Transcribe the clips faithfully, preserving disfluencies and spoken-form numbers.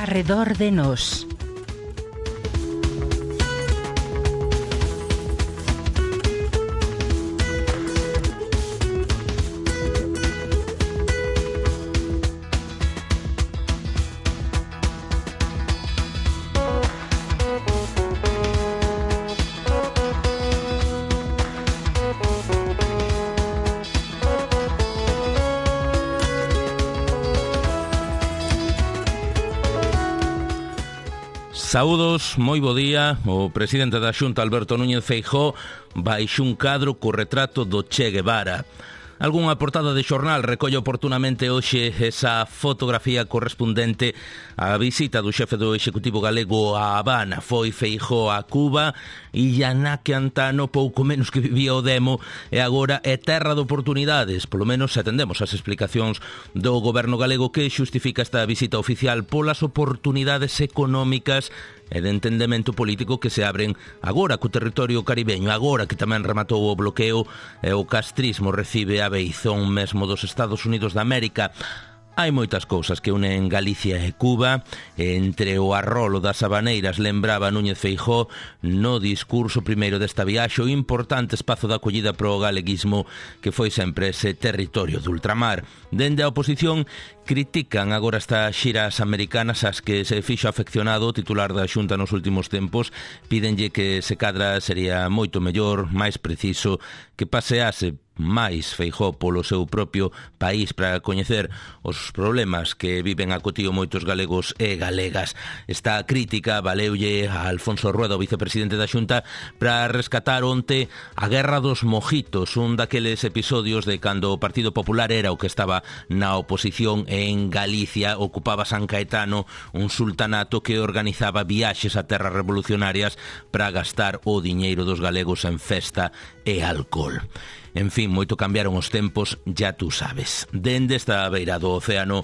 Arredor de Nós. Saúdos, moi bo día. O presidente da Xunta, Alberto Núñez Feijóo, baixo un cadro co retrato do Che Guevara. Algúnha portada de xornal recolle oportunamente hoxe esa fotografía correspondente á visita do xefe do Executivo galego a Habana. Foi Feijóo a Cuba e Iñaki Antano, pouco menos que vivía o demo, e agora é terra de oportunidades. Polo menos atendemos as explicacións do goberno galego que xustifica esta visita oficial polas oportunidades económicas e de entendemento político que se abren agora co territorio caribeño, agora que tamén rematou o bloqueo e o castrismo recibe a beizón mesmo dos Estados Unidos de América. Hai moitas cousas que unen Galicia e Cuba. Entre o arrolo das habaneiras lembraba Núñez Feijóo no discurso primeiro desta viaxe o importante espazo de acollida pro galeguismo que foi sempre ese territorio de ultramar. Dende a oposición critican agora estas xiras americanas ás que se fixo afeccionado o titular da Xunta nos últimos tempos. Pídenlle que se cadra sería moito mellor, máis preciso, que pasease máis Feijóo polo seu propio país para coñecer os problemas que viven a cotío moitos galegos e galegas. Esta crítica valeulle a Alfonso Rueda, o vicepresidente da Xunta, para rescatar onte a Guerra dos Mojitos, un daqueles episodios de cando o Partido Popular era o que estaba na oposición en Galicia, ocupaba San Caetano, un sultanato que organizaba viaxes a terras revolucionarias para gastar o diñeiro dos galegos en festa e alcohol. En fin, moito cambiaron os tempos, ya tú sabes. Dende esta beira do océano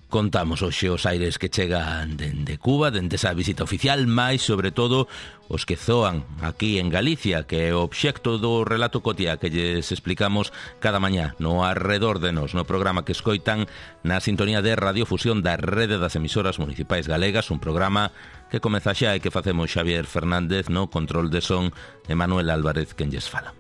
contamos hoxe os aires que chegan dende Cuba, dende esa visita oficial, máis sobre todo os que zoan aquí en Galicia, que é o obxecto do relato cotía que lles explicamos cada mañá no Arredor de Nós, no programa que escoitan na sintonía de radiofusión da Rede das Emisoras Municipais Galegas, un programa que comeza xa e que facemos Xavier Fernández no control de son e Manuel Álvarez quen lles fala.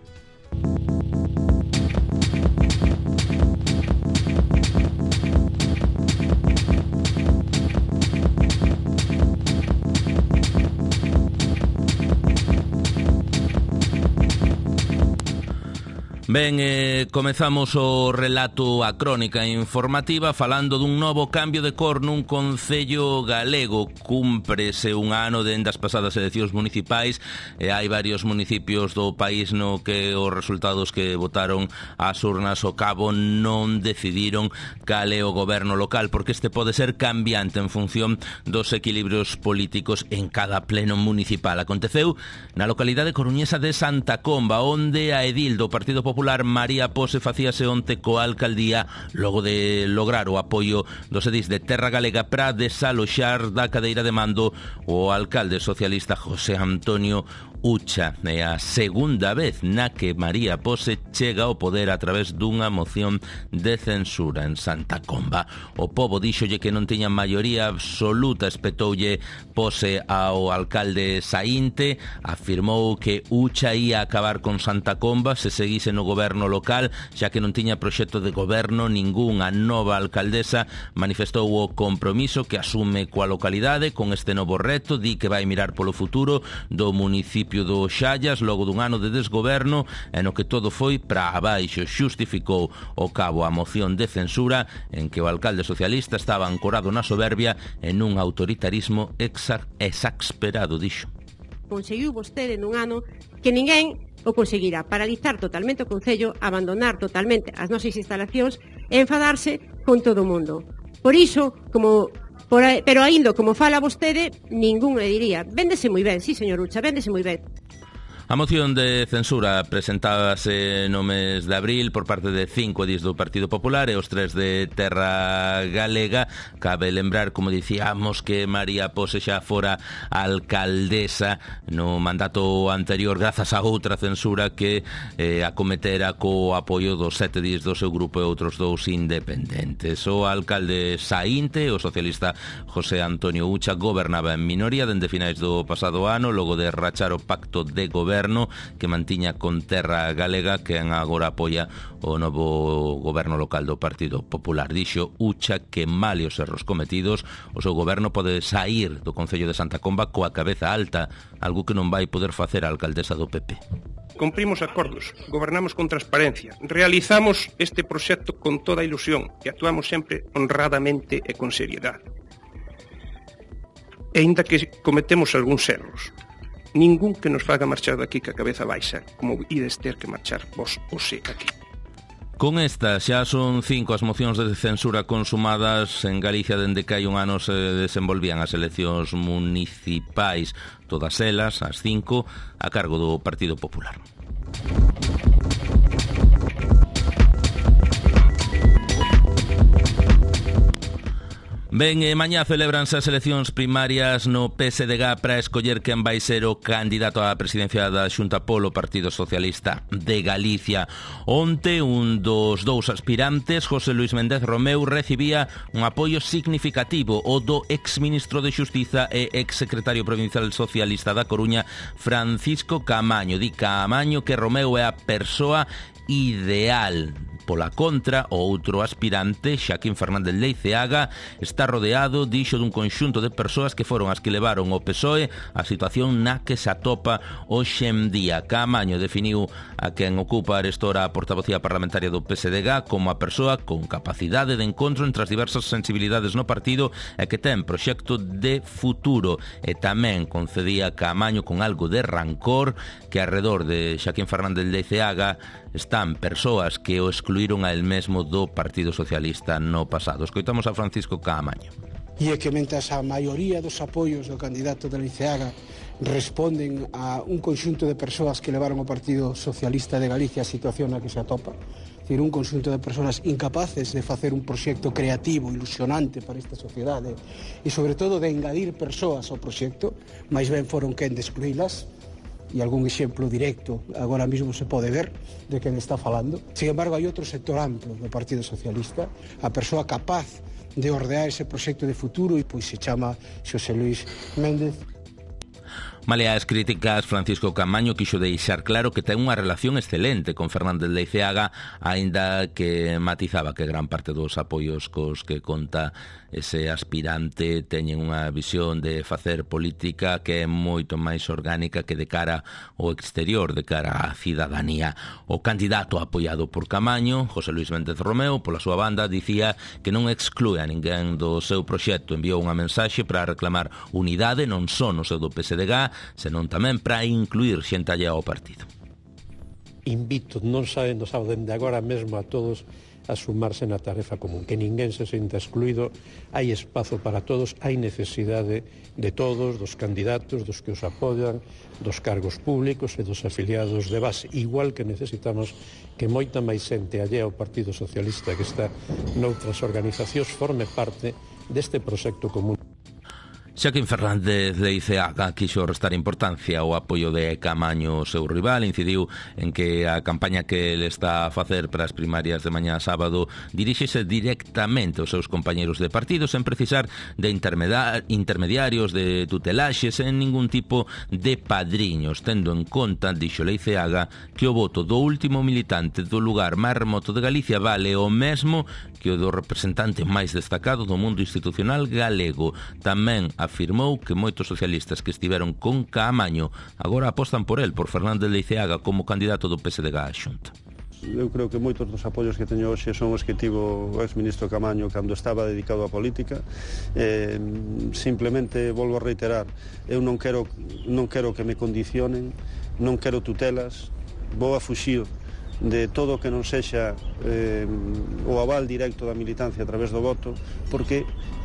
Ben, eh, comezamos o relato, a crónica informativa, falando dun novo cambio de cor nun concello galego. Cúmprese un ano dende as pasadas eleccións municipais e hai varios municipios do país no que os resultados que votaron ás urnas ao cabo non decidiron cal é o goberno local, porque este pode ser cambiante en función dos equilibrios políticos en cada pleno municipal. Aconteceu na localidade coruñesa de Santa Comba, onde a edil do Partido Popular María Pose facíase onte coa alcaldía logo de lograr o apoio dos edís de Terra Galega para desaloxar da cadeira de mando o alcalde socialista José Antonio Ucha. É a segunda vez na que María Pose chega ao poder a través dunha moción de censura en Santa Comba. O pobo díxolle que non tiña maioría absoluta, espetoulle Pose ao alcalde saínte, afirmou que Ucha ia acabar con Santa Comba se seguise no goberno local, xa que non tiña proxecto de goberno ningún. A nova alcaldesa manifestou o compromiso que asume coa localidade con este novo reto, di que vai mirar polo futuro do municipio do Xallas logo dun ano de desgoberno e no que todo foi para abaixo. Xustificou o cabo a moción de censura en que o alcalde socialista estaba ancorado na soberbia en un autoritarismo exa- exasperado, dixo. Conseguiu vostede nun ano que ninguén o conseguirá: paralizar totalmente o concello, abandonar totalmente as nosas instalacións e enfadarse con todo o mundo. Por iso, como por, pero aínda como fala vostede, ningún le diría: véndese moi ben, sí, señor Ucha, véndese moi ben. A moción de censura presentábase no mes de abril por parte de cinco edís do Partido Popular e os tres de Terra Galega. Cabe lembrar, como dicíamos, que María Pose xa fora alcaldesa no mandato anterior grazas a outra censura que eh, acometera co apoio dos sete edís do seu grupo e outros dous independentes. O alcalde saínte, o socialista José Antonio Ucha, gobernaba en minoría dende finais do pasado ano, logo de rachar o pacto de goberno que mantiña con Terra Galega, que agora apoia o novo goberno local do Partido Popular. Dixo Ucha que, male os erros cometidos, o seu goberno pode saír do Concello de Santa Comba coa cabeza alta, algo que non vai poder facer a alcaldesa do P P. Cumprimos acordos, gobernamos con transparencia, realizamos este proxecto con toda a ilusión e actuamos sempre honradamente e con seriedade. E ainda que cometemos algúns erros, ningún que nos faga marchar daqui que a cabeza baixa, como ides ter que marchar vos ou se aquí. Con esta xa son cinco as mocións de censura consumadas en Galicia dende que hai un ano se desenvolvían as eleccións municipais, todas elas, as cinco, a cargo do Partido Popular. Ben, e mañá celebranse as eleccións primarias no P S D G para escoller quen vai ser o candidato á presidencia da Xunta polo Partido Socialista de Galicia. Onte, un dos dous aspirantes, José Luis Méndez Romeu, recibía un apoio significativo, o do exministro de Xustiza e exsecretario provincial socialista da Coruña, Francisco Caamaño. Di Caamaño que Romeu é a persoa ideal. Pola contra, o outro aspirante, Xaquín Fernández Leiceaga, está rodeado, dixo, dun conxunto de persoas que foron as que levaron o P S O E a situación na que se atopa hoxe en día. Caamaño definiu a quen ocupa arestora a portavocía parlamentaria do P S D G como a persoa con capacidade de encontro entre as diversas sensibilidades no partido e que ten proxecto de futuro. E tamén concedía Caamaño con algo de rancor que arredor de Xaquín Fernández Leiceaga están persoas que o excluíron a el mesmo do Partido Socialista no pasado. Escoitamos a Francisco Caamaño. E é que mentres a maioría dos apoios do candidato de Leiceaga responden a un conxunto de persoas que levaron o Partido Socialista de Galicia a situación na que se atopa, é dicir, un conxunto de persoas incapaces de facer un proxecto creativo, ilusionante para esta sociedade e, sobre todo, de engadir persoas ao proxecto, máis ben foron quen de excluílas. E algún exemplo directo agora mesmo se pode ver de quen está falando. Sin embargo, hai outro sector amplo do Partido Socialista, a persoa capaz de ordear ese proxecto de futuro e pois se chama Xosé Luis Méndez. Malia as críticas, Francisco Caamaño quixo deixar claro que ten unha relación excelente con Fernández Leiceaga, aínda que matizaba que gran parte dos apoios cos que conta ese aspirante teñen unha visión de facer política que é moito máis orgánica que de cara ao exterior, de cara á cidadanía. O candidato apoiado por Caamaño, José Luis Méndez Romeu, pola súa banda, dicía que non exclúe a ninguén do seu proxecto. Enviou unha mensaxe para reclamar unidade non só no seu do P S D G, senón tamén para incluir xente allá ao partido. Invito, non sabendo, sabe, dende agora mesmo a todos a sumarse na tarefa común, que ninguén se sinta excluído, hai espazo para todos, hai necesidade de todos, dos candidatos, dos que os apoian, dos cargos públicos e dos afiliados de base, igual que necesitamos que moita máis xente allá ao Partido Socialista que está noutras organizacións forme parte deste proxecto común. Xaquín Fernández Leiceaga quixo restar importancia ao apoio de Caamaño, seu rival, incidiu en que a campaña que ele está a facer para as primarias de mañá sábado diríxese directamente aos seus compañeros de partido sen precisar de intermediarios, de tutelaxes, en ningún tipo de padriños, tendo en conta, dixo Leiceaga, que o voto do último militante do lugar máis remoto de Galicia vale o mesmo que o do representante máis destacado do mundo institucional galego. Tamén afirmou que moitos socialistas que estiveron con Caamaño agora apostan por el, por Fernández Leiceaga, como candidato do P S D G á Xunta. Eu creo que moitos dos apoios que teño hoxe son os que tivo o ex-ministro Caamaño cando estaba dedicado á política. Eh, simplemente volvo a reiterar, eu non quero, non quero que me condicionen, non quero tutelas, vou a fuxir de todo o que non sexa eh, o aval directo da militancia a través do voto, porque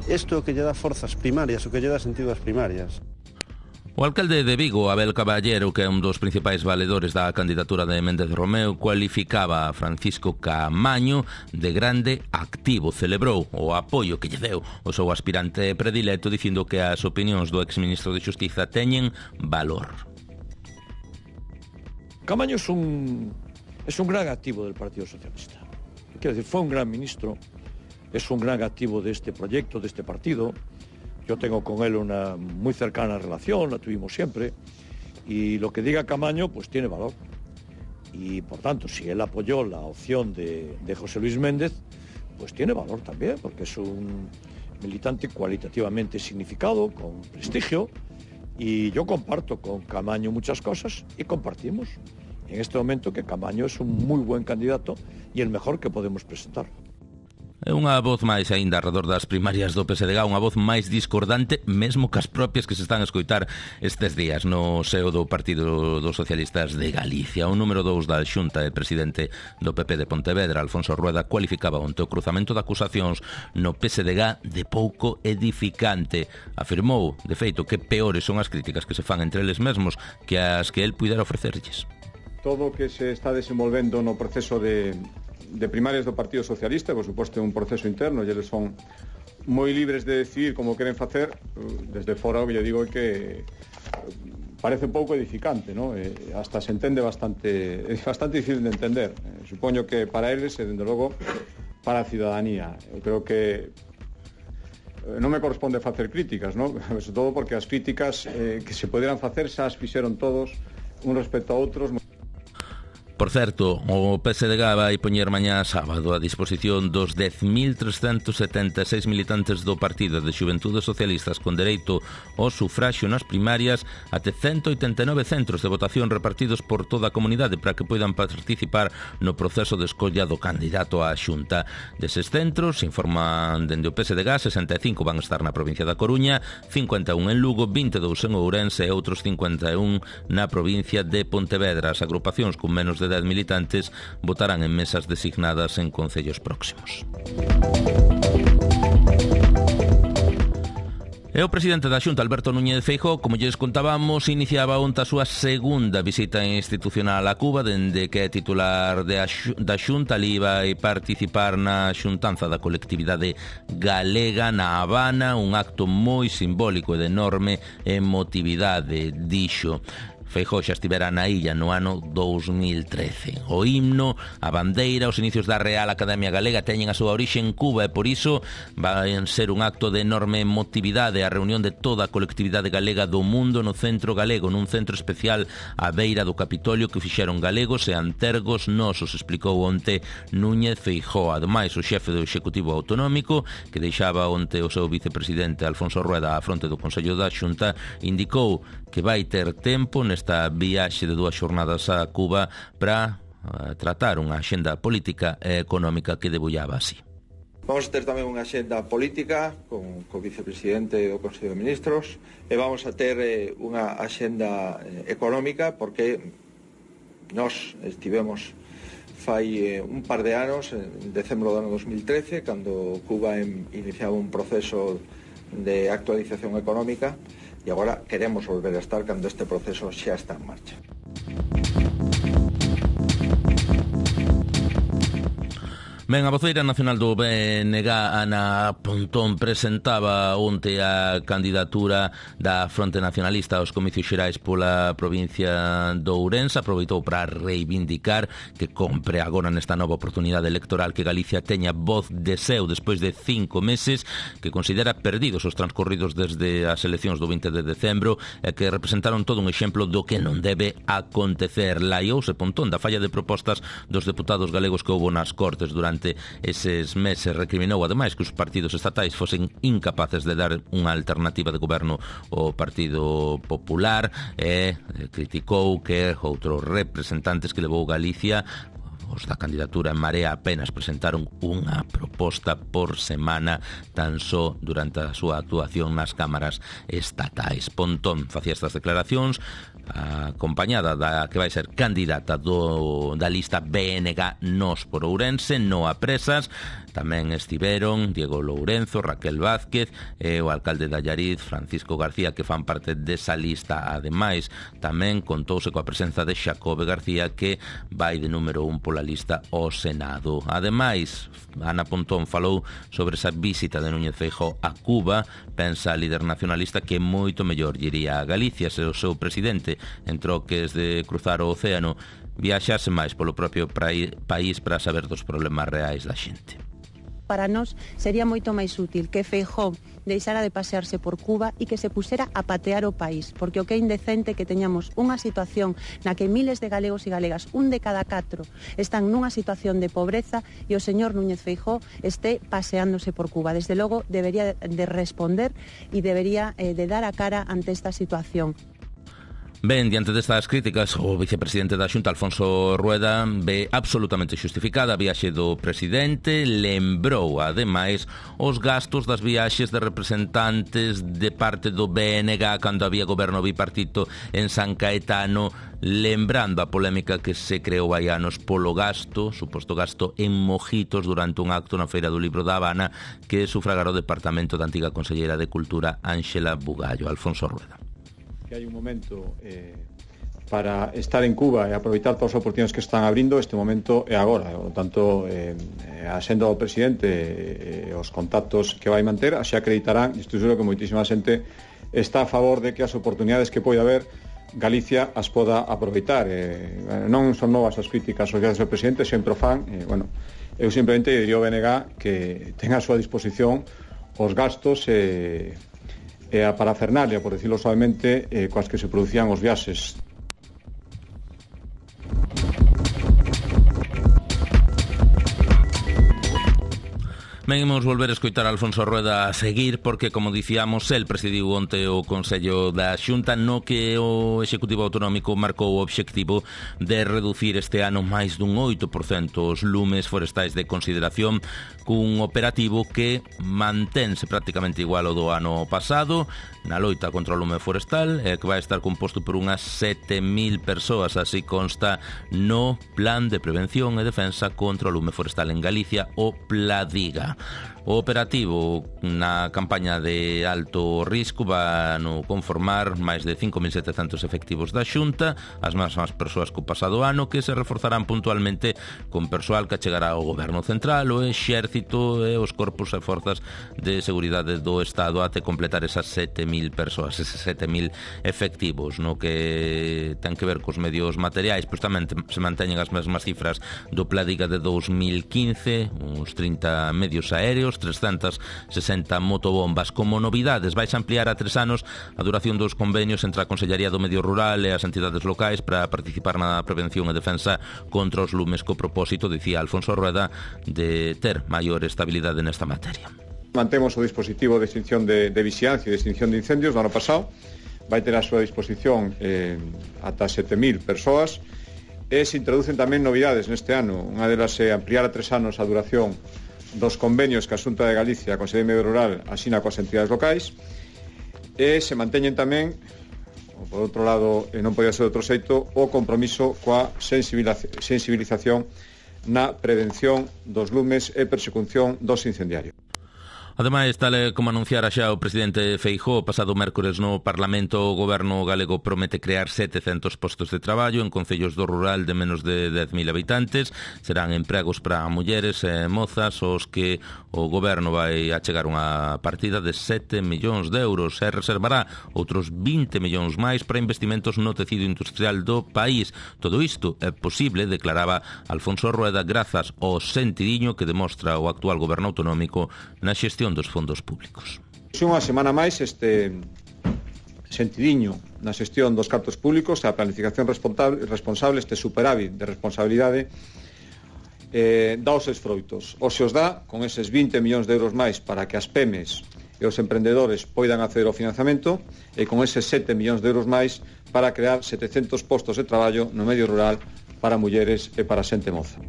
isto é o que lle dá forzas primarias, o que lle dá sentido ás primarias. O alcalde de Vigo, Abel Caballero, que é un dos principais valedores da candidatura de Méndez Romeu, cualificaba a Francisco Caamaño de grande activo. Celebrou o apoio que lle deu o seu aspirante predilecto, dicindo que as opinións do exministro de Xustiza teñen valor. Caamaño es un, es un gran activo del Partido Socialista. Quiero decir, fue un gran ministro, es un gran activo de este proyecto, de este partido. Yo tengo con él una muy cercana relación, la tuvimos siempre, y lo que diga Caamaño pues tiene valor. Y por tanto, si él apoyó la opción de, de José Luis Méndez, pues tiene valor también, porque es un militante cualitativamente significado, con prestigio, y yo comparto con Caamaño muchas cosas y compartimos en este momento que Caamaño es un muy buen candidato y el mejor que podemos presentar. É unha voz máis aínda alrededor das primarias do P S D G, unha voz máis discordante mesmo que as propias que se están a escoitar estes días no seo do Partido dos Socialistas de Galicia. O número dous da Xunta e presidente do P P de Pontevedra, Alfonso Rueda, cualificaba onte o cruzamento de acusacións no P S D G de pouco edificante. Afirmou, de feito, que peores son as críticas que se fan entre eles mesmos que as que el puidera ofrecerlles. Todo o que se está desenvolvendo no proceso de de primarias do Partido Socialista, por suposto é un proceso interno e eles son moi libres de decidir como queren facer. Desde fora o que lle digo é que parece pouco edificante, ¿no? Eh, hasta se entende bastante, é bastante difícil de entender. Eh, supoño que para eles e, dende logo, para a ciudadanía. Eu creo que non me corresponde facer críticas, ¿no? Sobre todo porque as críticas eh, que se poderan facer xa as fixeron todos un respecto a outros. Por certo, o P S D G vai poñer mañá sábado a disposición dos dez mil trescentos setenta e seis militantes do Partido de Xuventudes Socialistas con dereito ao sufraxio nas primarias até ciento oitenta e nove centros de votación repartidos por toda a comunidade para que poidan participar no proceso de escolla do candidato á Xunta. Deses centros, informan dende o P S D G, sesenta e cinco van estar na provincia da Coruña, cincuenta e un en Lugo, vinte e dous en Ourense e outros cincuenta e un na provincia de Pontevedra. As agrupacións con menos de dez militantes votarán en mesas designadas en concellos próximos. E o presidente da Xunta, Alberto Núñez Feijóo, como lles contábamos, iniciaba onte a súa segunda visita institucional a Cuba, dende que é titular de da Xunta. Ali vai participar na xuntanza da colectividade galega na Habana, un acto moi simbólico e de enorme emotividade, dixo. Feijóo xa estivera na illa no ano dous mil trece. O himno, a bandeira, os inicios da Real Academia Galega teñen a súa orixe en Cuba e por iso vai ser un acto de enorme emotividade a reunión de toda a colectividade galega do mundo no Centro Galego, nun centro especial á beira do Capitolio que fixeron galegos e antergos nosos, explicou onte Núñez Feijóo. Ademais, o xefe do Executivo Autonómico, que deixaba onte o seu vicepresidente Alfonso Rueda á fronte do Consello da Xunta, indicou que vai ter tempo nesta viaxe de dúas xornadas a Cuba para uh, tratar unha axenda política e económica que debullaba así. Vamos a ter tamén unha axenda política con o vicepresidente do Consello de Ministros e vamos a ter eh, unha axenda eh, económica porque nós estivemos fai eh, un par de anos, en decembro do ano dos mil trece, cando Cuba em, iniciaba un proceso de actualización económica. E agora queremos volver a estar cando este proceso xa está en marcha. Ben, a voceira nacional do B N G, Ana Pontón, presentaba onte a candidatura da Fronte Nacionalista aos comicios xerais pola provincia de Ourense. Aproveitou para reivindicar que compre agora nesta nova oportunidade electoral que Galicia teña voz de seu despois de cinco meses, que considera perdidos os transcorridos desde as eleccións do vinte de decembro e que representaron todo un exemplo do que non debe acontecer. Laiouse Pontón da falla de propostas dos deputados galegos que houbo nas Cortes durante eses meses. Recriminou ademais que os partidos estatais fosen incapaces de dar unha alternativa de goberno ao Partido Popular e criticou que outros representantes que levou Galicia Os da candidatura en Marea apenas presentaron unha proposta por semana tan só durante a súa actuación nas cámaras estatais. Pontón facía estas declaracións acompañada da que vai ser candidata do, da lista B N G Nós por Ourense, no a Presas. Tamén estiveron Diego Lourenzo, Raquel Vázquez e o alcalde de Allariz, Francisco García, que fan parte desa lista. Ademais, tamén contouse coa presenza de Xacobe García, que vai de número un pola lista ao Senado. Ademais, Ana Pontón falou sobre esa visita de Núñez Feijóo a Cuba. Pensa a líder nacionalista que moito mellor iría a Galicia se o seu presidente, en troques de cruzar o océano, viaxase máis polo propio país para saber dos problemas reais da xente. Para nós sería moito máis útil que Feijóo deixara de pasearse por Cuba e que se pusera a patear o país, porque o que é indecente que teñamos unha situación na que miles de galegos e galegas, un de cada catro, están nunha situación de pobreza e o señor Núñez Feijóo este paseándose por Cuba. Desde logo debería de responder e debería eh, de dar a cara ante esta situación. Ben, diante destas críticas, o vicepresidente da Xunta, Alfonso Rueda, ve absolutamente xustificada a viaxe do presidente. Lembrou, ademais, os gastos das viaxes de representantes de parte do B N G cando había goberno bipartito en San Caetano, lembrando a polémica que se creou hai anos polo gasto, suposto gasto en mojitos durante un acto na Feira do Libro da Habana que sufragara o departamento da antiga conselleira de Cultura, Ángela Bugallo. Alfonso Rueda. Que hai un momento eh, para estar en Cuba e aproveitar todas as oportunidades que están abrindo. Este momento é agora, por tanto, eh, a senda do presidente e eh, os contactos que vai manter así acreditarán, e estou seguro que moitísima xente está a favor de que as oportunidades que pode haber Galicia as poda aproveitar. Eh, non son novas as críticas aos viaxes do presidente, sempre o fan. Eh, bueno, eu simplemente diría ao B N G que ten a súa disposición os gastos e eh, e a parafernalia, por decirlo suavemente, eh, coas que se producían os viaxes. Ben, imos volver a escoitar a Alfonso Rueda a seguir, porque, como dicíamos, el presidiu onte o Consello da Xunta, no que o Executivo Autonómico marcou o obxectivo de reducir este ano máis dun oito por cento os lumes forestais de consideración, cun operativo que mantense prácticamente igual ao do ano pasado na loita contra o lume forestal, e que vai estar composto por unhas sete mil persoas, así consta no Plan de Prevención e Defensa contra o lume forestal en Galicia, o PLADIGA. O operativo na campaña de alto risco va no conformar máis de cinco mil setecentos efectivos da Xunta, as mesmas persoas co pasado ano, que se reforzarán puntualmente con persoal que chegará ao Goberno Central, o Exército e os corpos e forzas de seguridade do Estado até completar esas sete mil persoas, eses sete mil efectivos. No que ten que ver cos medios materiais, pois tamén se manteñen as mesmas cifras do Pladiga de dos mil quince, uns trinta medios aéreos, trescentas sesenta motobombas. Como novidades, vais ampliar a tres anos a duración dos convenios entre a Consellería do Medio Rural e as entidades locais para participar na prevención e defensa contra os lumes, co propósito, dicía Alfonso Rueda, de ter maior estabilidade nesta materia. Mantemos o dispositivo de extinción de, de vixiancia e de extinción de incendios do ano pasado. Vai ter a súa disposición eh, ata sete mil persoas, e se introducen tamén novidades neste ano. Unha delas é ampliar a tres anos a duración dos convenios que a Xunta de Galicia, a Consellería de Medio Rural, asina coas entidades locais, e se manteñen tamén, por outro lado, e non podía ser de outro xeito, o compromiso coa sensibilización na prevención dos lumes e persecución dos incendiarios. Ademais, tal como anunciara xa o presidente Feijóo pasado mércores no Parlamento, o goberno galego promete crear setecentos postos de traballo en concellos do rural de menos de dez mil habitantes. Serán empregos para mulleres e mozas os que o goberno vai achegar unha partida de sete millóns de euros e reservará outros vinte millóns máis para investimentos no tecido industrial do país. Todo isto é posible, declaraba Alfonso Rueda, grazas ao sentidiño que demostra o actual goberno autonómico na xestión dos fondos públicos. Unha semana máis este sentidiño na xestión dos cartos públicos, a planificación responsable, responsable este superávit de responsabilidade eh, dá os seus froitos. O se os dá con eses vinte millóns de euros máis para que as pemes e os emprendedores poidan acceder ao financiamento, e con eses sete millóns de euros máis para crear setecentos postos de traballo no medio rural para mulleres e para xente moza.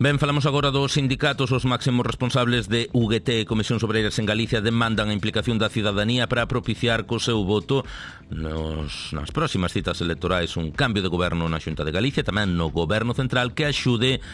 Ben, falamos agora dos sindicatos. Os máximos responsables de U G T e Comisións Obreiras en Galicia demandan a implicación da cidadanía para propiciar co seu voto nos, nas próximas citas electorais un cambio de goberno na Xunta de Galicia, tamén no goberno central, que axude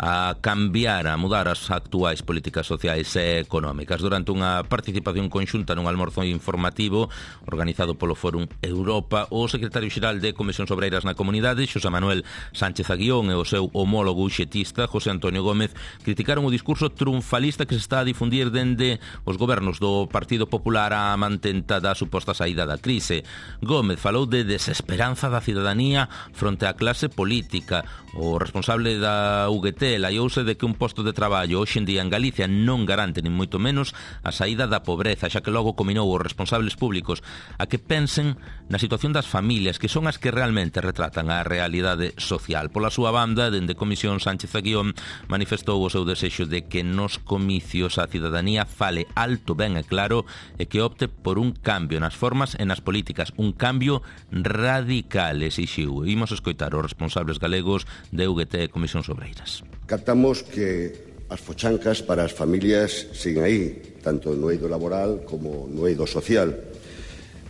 a cambiar, a mudar as actuais políticas sociais e económicas. Durante unha participación conxunta nun almorzo informativo organizado polo Fórum Europa, o secretario xeral de Comisións Obreiras na Comunidade, Xosé Manuel Sánchez Aguión, e o seu homólogo uxetista, José Antonio Gómez, criticaron o discurso triunfalista que se está a difundir dende os gobernos do Partido Popular a mantenta da suposta saída da crise. Gómez falou de desesperanza da cidadanía fronte á clase política. O responsable da U G T laiouse de que un posto de traballo hoxe en día en Galicia non garante nin moito menos a saída da pobreza, xa que logo cominou os responsables públicos a que pensen na situación das familias, que son as que realmente retratan a realidade social. Pola súa banda, dende Comisión, Sánchez Aguión manifestou o seu desexo de que nos comicios a cidadanía fale alto, ben e claro, e que opte por un cambio nas formas e nas políticas, un cambio radical, exixiu. Imos escoitar os responsables galegos de U G T e Comisións Obreiras. Captamos que as fochancas para as familias siguen aí, tanto no eido laboral como no eido social.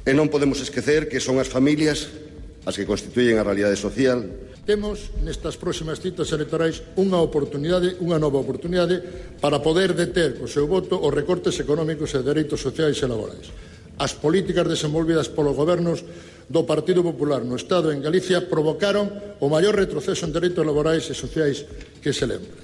E non podemos esquecer que son as familias as que constituyen a realidade social. Temos nestas próximas citas electorais unha oportunidade, unha nova oportunidade para poder deter co seu voto os recortes económicos e dereitos sociais e laborais. As políticas desenvolvidas polos gobernos do Partido Popular no Estado e en Galicia provocaron o maior retroceso en dereitos laborais e sociais que se lembra.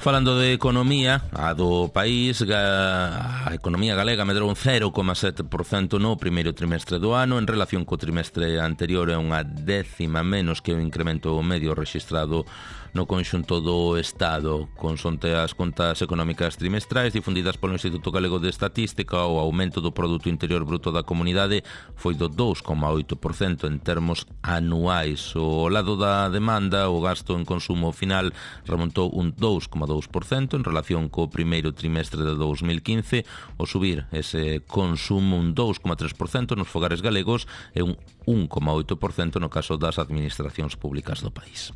Falando de economía, a do país, a economía galega medrou un cero coma sete por cento no primeiro trimestre do ano, en relación co trimestre anterior é unha décima menos que o incremento medio rexistrado no conxunto do Estado. Consonte as contas económicas trimestrais difundidas polo Instituto Galego de Estatística, o aumento do Produto Interior Bruto da comunidade foi do dous coma oito por cento en termos anuais. O lado da demanda, o gasto en consumo final remontou un dous coma dous por cento en relación co primeiro trimestre de dous mil quince, o subir ese consumo un dous coma tres por cento nos fogares galegos e un un coma oito por cento no caso das administracións públicas do país.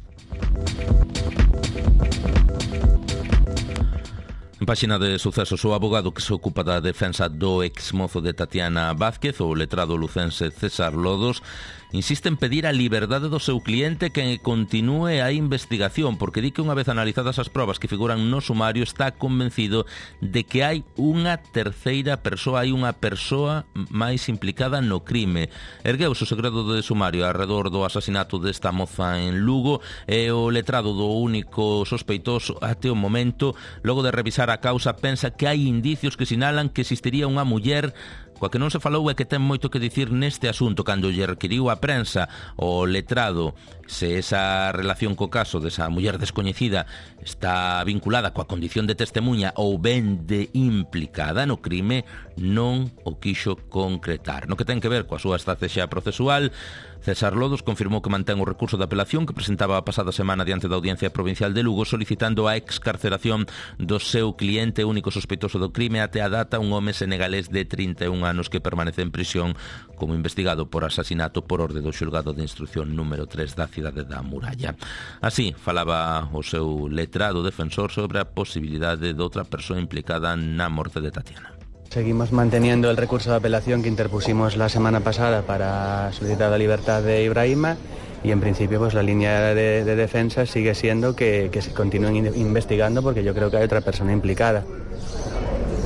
En páxina de sucesos, o abogado que se ocupa da defensa do exmozo de Tatiana Vázquez, o letrado lucense César Lodos, insiste en pedir a liberdade do seu cliente que continúe a investigación, porque di que unha vez analizadas as probas que figuran no sumario está convencido de que hai unha terceira persoa, hai unha persoa máis implicada no crime. Ergueuse o segredo de sumario arredor do asasinato desta moza en Lugo e o letrado do único sospeitoso até o momento, logo de revisar a causa, pensa que hai indicios que sinalan que existiría unha muller coa que non se falou e que ten moito que dicir neste asunto. Cando lle requiriu a prensa o letrado se esa relación co caso desa muller descoñecida está vinculada coa condición de testemunha ou ben de implicada no crime, non o quixo concretar. No que ten que ver coa súa estrategia procesual, César Lodos confirmou que mantén o recurso de apelación que presentaba a pasada semana diante da Audiencia Provincial de Lugo, solicitando a excarceración do seu cliente único sospeitoso do crime até a data, un home senegalés de trinta e un anos que permanece en prisión como investigado por asasinato por orde do xulgado de instrucción número tres da cidade da Muralla. Así falaba o seu letrado defensor sobre a posibilidade de outra persoa implicada na morte de Tatiana. Seguimos manteniendo el recurso de apelación que interpusimos la semana pasada para solicitar la libertad de Ibrahima y en principio pues la línea de, de defensa sigue siendo que, que se continúen investigando porque yo creo que hay otra persona implicada.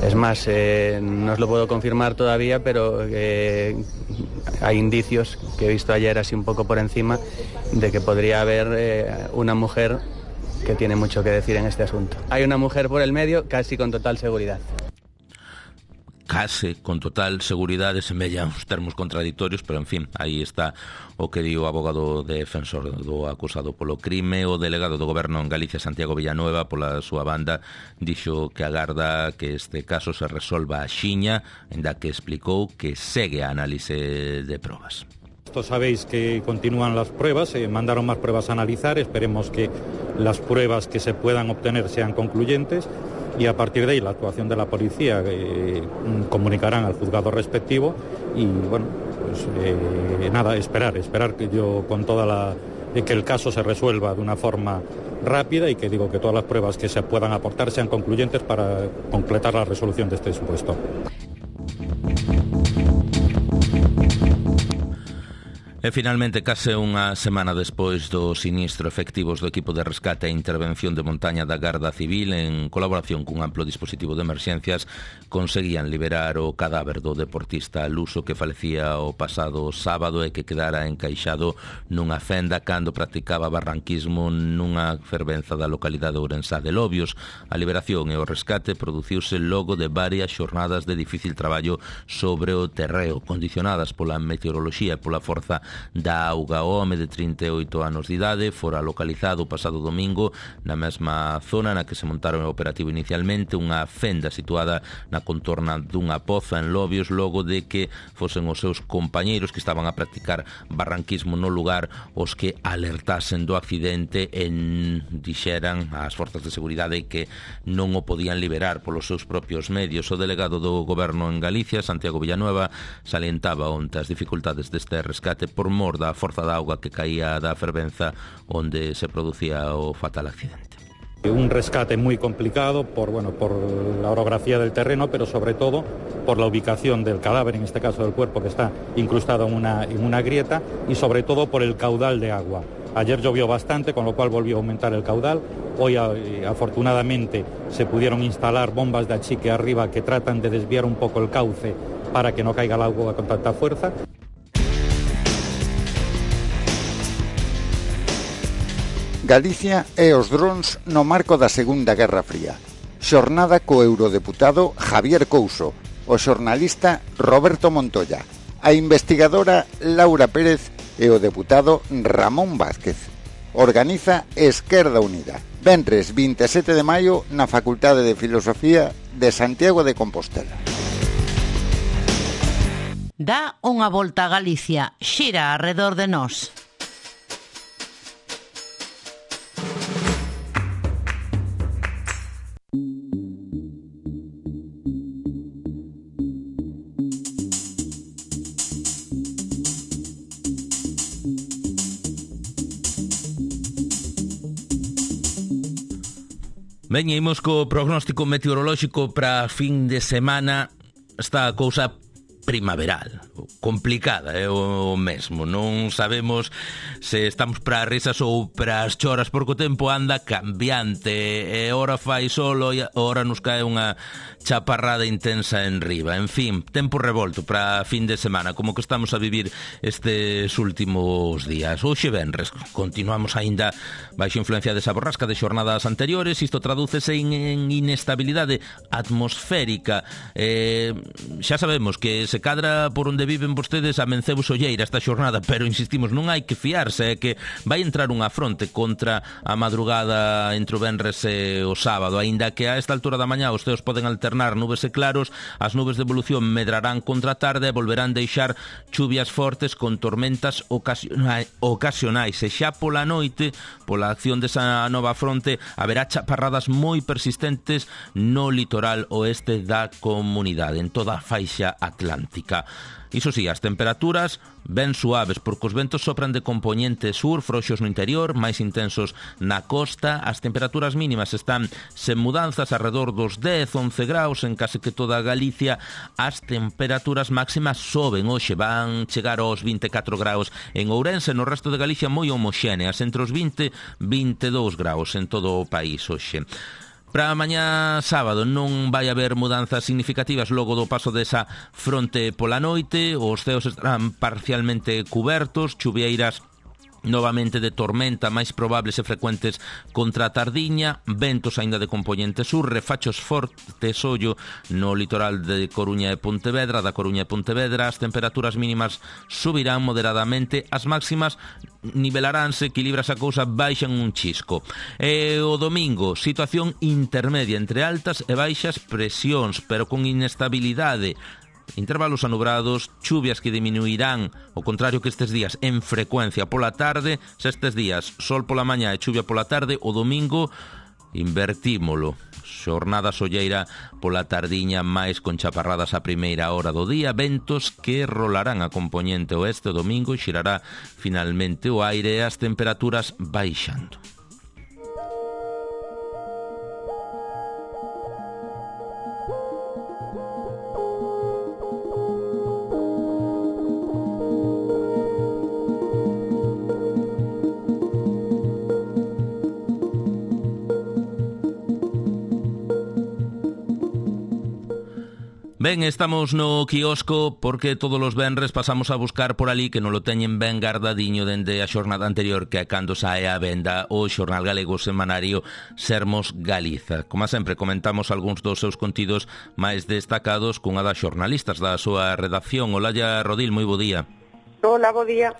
Es más, eh, no os lo puedo confirmar todavía, pero eh, hay indicios que he visto ayer así un poco por encima de que podría haber eh, una mujer que tiene mucho que decir en este asunto. Hay una mujer por el medio casi con total seguridad. Case con total seguridade, semellan os termos contradictorios, pero en fin, aí está o que di o abogado defensor do acusado polo crime. O delegado do goberno en Galicia, Santiago Villanueva, pola súa banda, dixo que agarda que este caso se resolva axiña, ainda que explicou que segue a análise de probas. Sabéis que continúan las pruebas, eh, mandaron más pruebas a analizar, esperemos que las pruebas que se puedan obtener sean concluyentes y a partir de ahí la actuación de la policía eh, comunicarán al juzgado respectivo y bueno, pues eh, nada, esperar, esperar que yo con toda la... que el caso se resuelva de una forma rápida y que digo que todas las pruebas que se puedan aportar sean concluyentes para completar la resolución de este supuesto. E finalmente, case unha semana despois do sinistro, efectivos do equipo de rescate e intervención de montaña da Garda Civil, en colaboración cun amplo dispositivo de emerxencias, conseguían liberar o cadáver do deportista luso que falecía o pasado sábado e que quedara encaixado nunha fenda cando practicaba barranquismo nunha fervenza da localidade ourensá de Lobios. A liberación e o rescate produciuse logo de varias xornadas de difícil traballo sobre o terreo, condicionadas pola meteoroloxía e pola forza da auga. O home de trinta e oito anos de idade fora localizado o pasado domingo na mesma zona na que se montaron o operativo inicialmente, unha fenda situada na contorna dunha poza en Lobios, logo de que fosen os seus compañeiros que estaban a practicar barranquismo no lugar os que alertasen do accidente e dixeran ás forzas de seguridade que non o podían liberar polos seus propios medios. O delegado do Goberno en Galicia, Santiago Villanueva, salientaba onte as dificultades deste rescate por mor da forza da auga que caía da fervenza onde se producía o fatal accidente. Un rescate muy complicado por, bueno, por la orografía del terreno, pero sobre todo por la ubicación del cadáver, en este caso del cuerpo, que está incrustado en una, en una grieta, y sobre todo por el caudal de agua. Ayer llovió bastante, con lo cual volvió a aumentar el caudal. Hoy, afortunadamente, se pudieron instalar bombas de achique arriba que tratan de desviar un poco el cauce para que no caiga el agua con tanta fuerza. Galicia e os drons no marco da Segunda Guerra Fría. Xornada co eurodeputado Javier Couso, o xornalista Roberto Montoya, a investigadora Laura Pérez e o deputado Ramón Vázquez. Organiza Esquerda Unida. Venres vinte e sete de maio na Facultade de Filosofía de Santiago de Compostela. Dá unha volta a Galicia, xira arredor de nós. Ben, imos co prognóstico meteorolóxico para fin de semana. Está a cousa primaveral, complicada, é o mesmo. Non sabemos se estamos para as risas ou para as choras, porque o tempo anda cambiante, e ora fai solo e ora nos cae unha chaparrada intensa en riba. En fin, tempo revolto para fin de semana, como que estamos a vivir estes últimos días. Hoxe venres, continuamos aínda baixo influencia desa borrasca de xornadas anteriores. Isto tradúcese en, en inestabilidade atmosférica. Eh, xa sabemos que se cadra por onde viven vostedes amencemos olleira esta xornada, pero insistimos, non hai que fiarse, é que vai entrar unha fronte contra a madrugada entre o venres e o sábado, aínda que a esta altura da mañá os ceos poden alternar nubes e claros, as nubes de evolución medrarán contra a tarde e volverán deixar chuvias fortes con tormentas ocasionais, ocasionais e xa pola noite, pola acción desa nova fronte, haberá chaparradas moi persistentes no litoral oeste da comunidade, en toda a faixa atlántica. Iso sí, as temperaturas ben suaves, porque os ventos sopran de compoñente sur, frouxos no interior, máis intensos na costa. As temperaturas mínimas están sen mudanzas, arredor dos dez, once graus en case que toda Galicia. As temperaturas máximas soben, hoxe van chegar aos vinte e catro graus en Ourense, no resto de Galicia moi homoxéneas, entre os vinte e vinte e dous graus en todo o país hoxe. Para mañá sábado non vai haber mudanzas significativas logo do paso desa fronte pola noite. Os ceos estarán parcialmente cubertos, chuvieiras novamente de tormenta, máis probables e frecuentes contra a tardiña, ventos aínda de compoñente sur, refachos fortes ollo no litoral de Coruña e Pontevedra, da Coruña e Pontevedra. As temperaturas mínimas subirán moderadamente, as máximas nivelaránse, equilibras a cousa, baixan un chisco. E o domingo, situación intermedia entre altas e baixas presións, pero con inestabilidade. Intervalos anubrados, chuvias que diminuirán, ao contrario que estes días, en frecuencia pola tarde. Se estes días sol pola mañá e chuvia pola tarde, o domingo invertímolo. Xornada solleira pola tardiña máis con chaparradas a primeira hora do día, ventos que rolarán a compoñente oeste o domingo e xirará finalmente o aire e as temperaturas baixando. Ben, estamos no quiosco porque todos os venres pasamos a buscar por ali que non lo teñen ben gardadiño dende a xornada anterior, que é cando sae a venda o xornal galego semanario Sermos Galiza. Como sempre, comentamos algúns dos seus contidos máis destacados cunha das xornalistas da súa redacción. Olalla Rodil, moi bo día. Hola, bo día.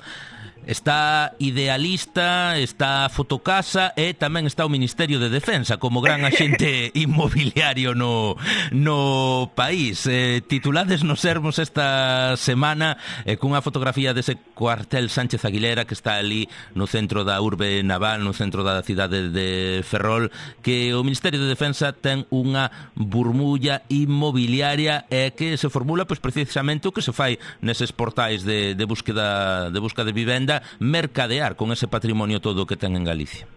Está Idealista, está Fotocasa e tamén está o Ministerio de Defensa como gran axente inmobiliario no, no país. Eh, titulades nos Sermos esta semana eh, cunha fotografía dese cuartel Sánchez Aguilera que está ali no centro da urbe naval, no centro da cidade de Ferrol, que o Ministerio de Defensa ten unha burmulla inmobiliaria e que se formula pois precisamente o que se fai neses portais de, de búsqueda de busca de vivenda, mercadear con ese patrimonio todo que ten en Galicia.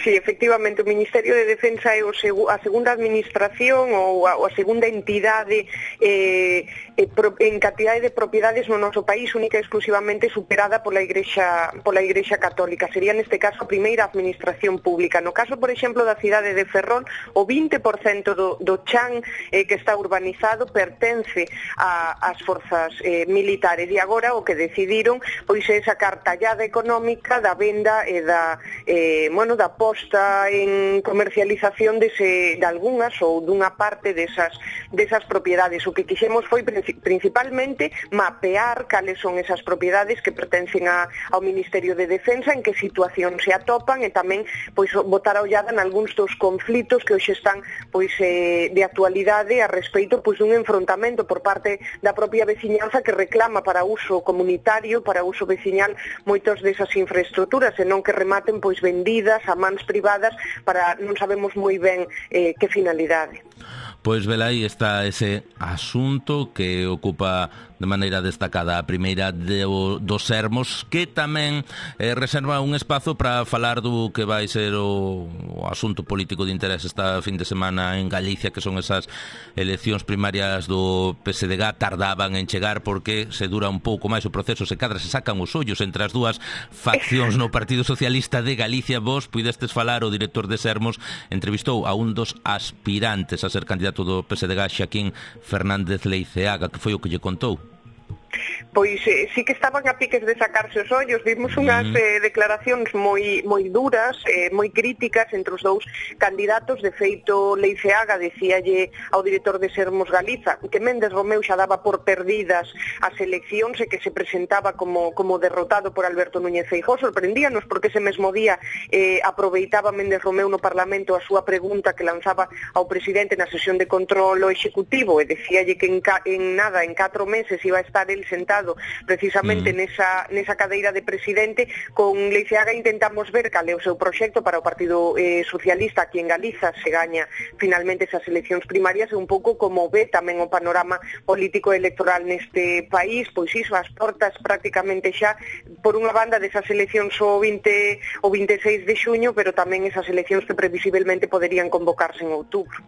Sí, efectivamente, o Ministerio de Defensa é o segu, a segunda administración ou a, ou a segunda entidade eh, eh, pro, en cantidade de propiedades no noso país, única e exclusivamente superada pola Igrexa, pola Igrexa Católica. Sería neste caso a primeira administración pública. No caso, por exemplo, da cidade de Ferrol, o vinte por cento do, do chan eh, que está urbanizado pertence a, ás forzas eh, militares e agora o que decidiron pois é sacar tallada económica da venda e da, eh, bueno, da posta en comercialización dese, de algunhas ou dunha parte desas, desas propiedades. O que quixemos foi principalmente mapear cales son esas propiedades que pertencen a, ao Ministerio de Defensa, en que situación se atopan e tamén pois botar a ollada en algúns dos conflitos que hoxe están pois eh, de actualidade a respeito pois dun enfrontamento por parte da propia veciñanza que reclama para uso comunitario, para uso veciñal moitas desas infraestructuras e non que rematen pois vendidas a mans privadas para non sabemos moi ben eh, que finalidade. Pois velaí está ese asunto que ocupa de maneira destacada a primeira de, o, dos Sermos, que tamén eh, reserva un espazo para falar do que vai ser o, o asunto político de interés esta fin de semana en Galicia, que son esas eleccións primarias do P S D G. Tardaban en chegar porque se dura un pouco máis o proceso, se cadra se sacan os ollos entre as dúas faccións no Partido Socialista de Galicia. Vos puidestes falar, o director de Sermos entrevistou a un dos aspirantes a ser candidato do P S D G, Xaquín Fernández Leiceaga, que foi o que lle contou. Pois eh, sí que estaban a piques de sacarse os ollos. Vimos unhas eh, declaracións moi moi duras, eh, moi críticas entre os dous candidatos. De feito, Leiceaga decíalle ao director de Sermos Galiza que Méndez Romeu xa daba por perdidas as eleccións e que se presentaba como, como derrotado por Alberto Núñez Feijóo. Sorprendíanos porque ese mesmo día eh, aproveitaba Méndez Romeu no Parlamento a súa pregunta que lanzaba ao presidente na sesión de control executivo e decíalle que en, ca, en nada, en catro meses iba a estar el sentado precisamente mm. nesa, nesa cadeira de presidente. Con Leiceaga intentamos ver cal é o seu proxecto para o Partido eh, Socialista aquí en Galiza se gaña finalmente esas eleccións primarias e un pouco como ve tamén o panorama político electoral neste país, pois iso, as portas prácticamente xa por unha banda desas eleccións o vinte o veintiséis de xuño, pero tamén esas eleccións que previsiblemente poderían convocarse en outubro.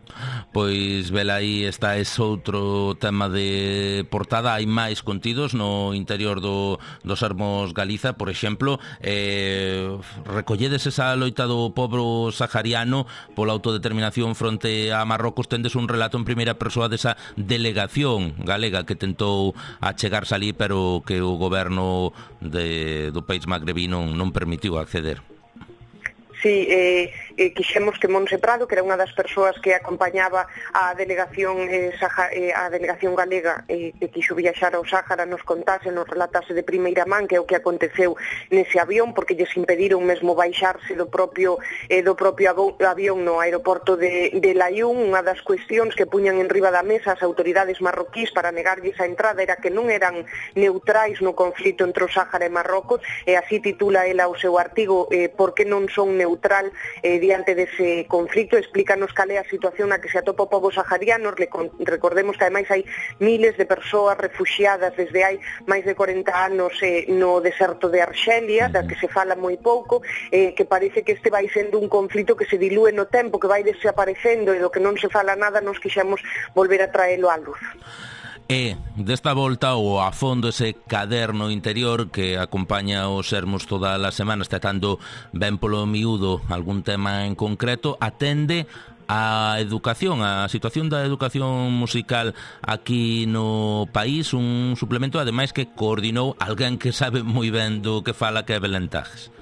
Pois vela aí está ese outro tema de portada. Hai máis contidos no interior do, do Sermos Galiza, por exemplo, eh, recolledes esa loita do pobo sahariano pola autodeterminación fronte a Marrocos. Tendes un relato en primeira persoa desa delegación galega que tentou achegarse ali, pero que o goberno de, do país magrebí non, non permitiu acceder. Sí, eh, eh, quixemos que Monse Prado, que era unha das persoas que acompañaba a delegación eh, Saja, eh, a delegación galega eh, que quixo viaxar ao Sáhara, nos contase, nos relatase de primeira man que é o que aconteceu nese avión, porque lles impediron mesmo baixarse do propio eh, do propio avión no aeroporto de, de Layún. Unha das cuestións que puñan en riba da mesa as autoridades marroquís para negarlles a entrada era que non eran neutrais no conflito entre o Sáhara e Marrocos, e así titula ela o seu artigo, eh, por que non son neutrais neutral, eh, diante dese conflicto, explícanos cal é a situación na que se atopa o pobo sahariano. Recordemos que ademais hai miles de persoas refuxiadas desde hai máis de corenta anos eh, no deserto de Arxelia, da que se fala moi pouco, eh, que parece que este vai sendo un conflito que se dilúe no tempo, que vai desaparecendo e do que non se fala nada, nos quixemos volver a traelo á luz. E desta volta o a fondo ese caderno interior que acompaña os Sermos todas as semanas, tratando ben polo miúdo algún tema en concreto, atende a educación, a situación da educación musical aquí no país, un suplemento ademais que coordinou alguén que sabe moi ben do que fala, que é Belén Tajes.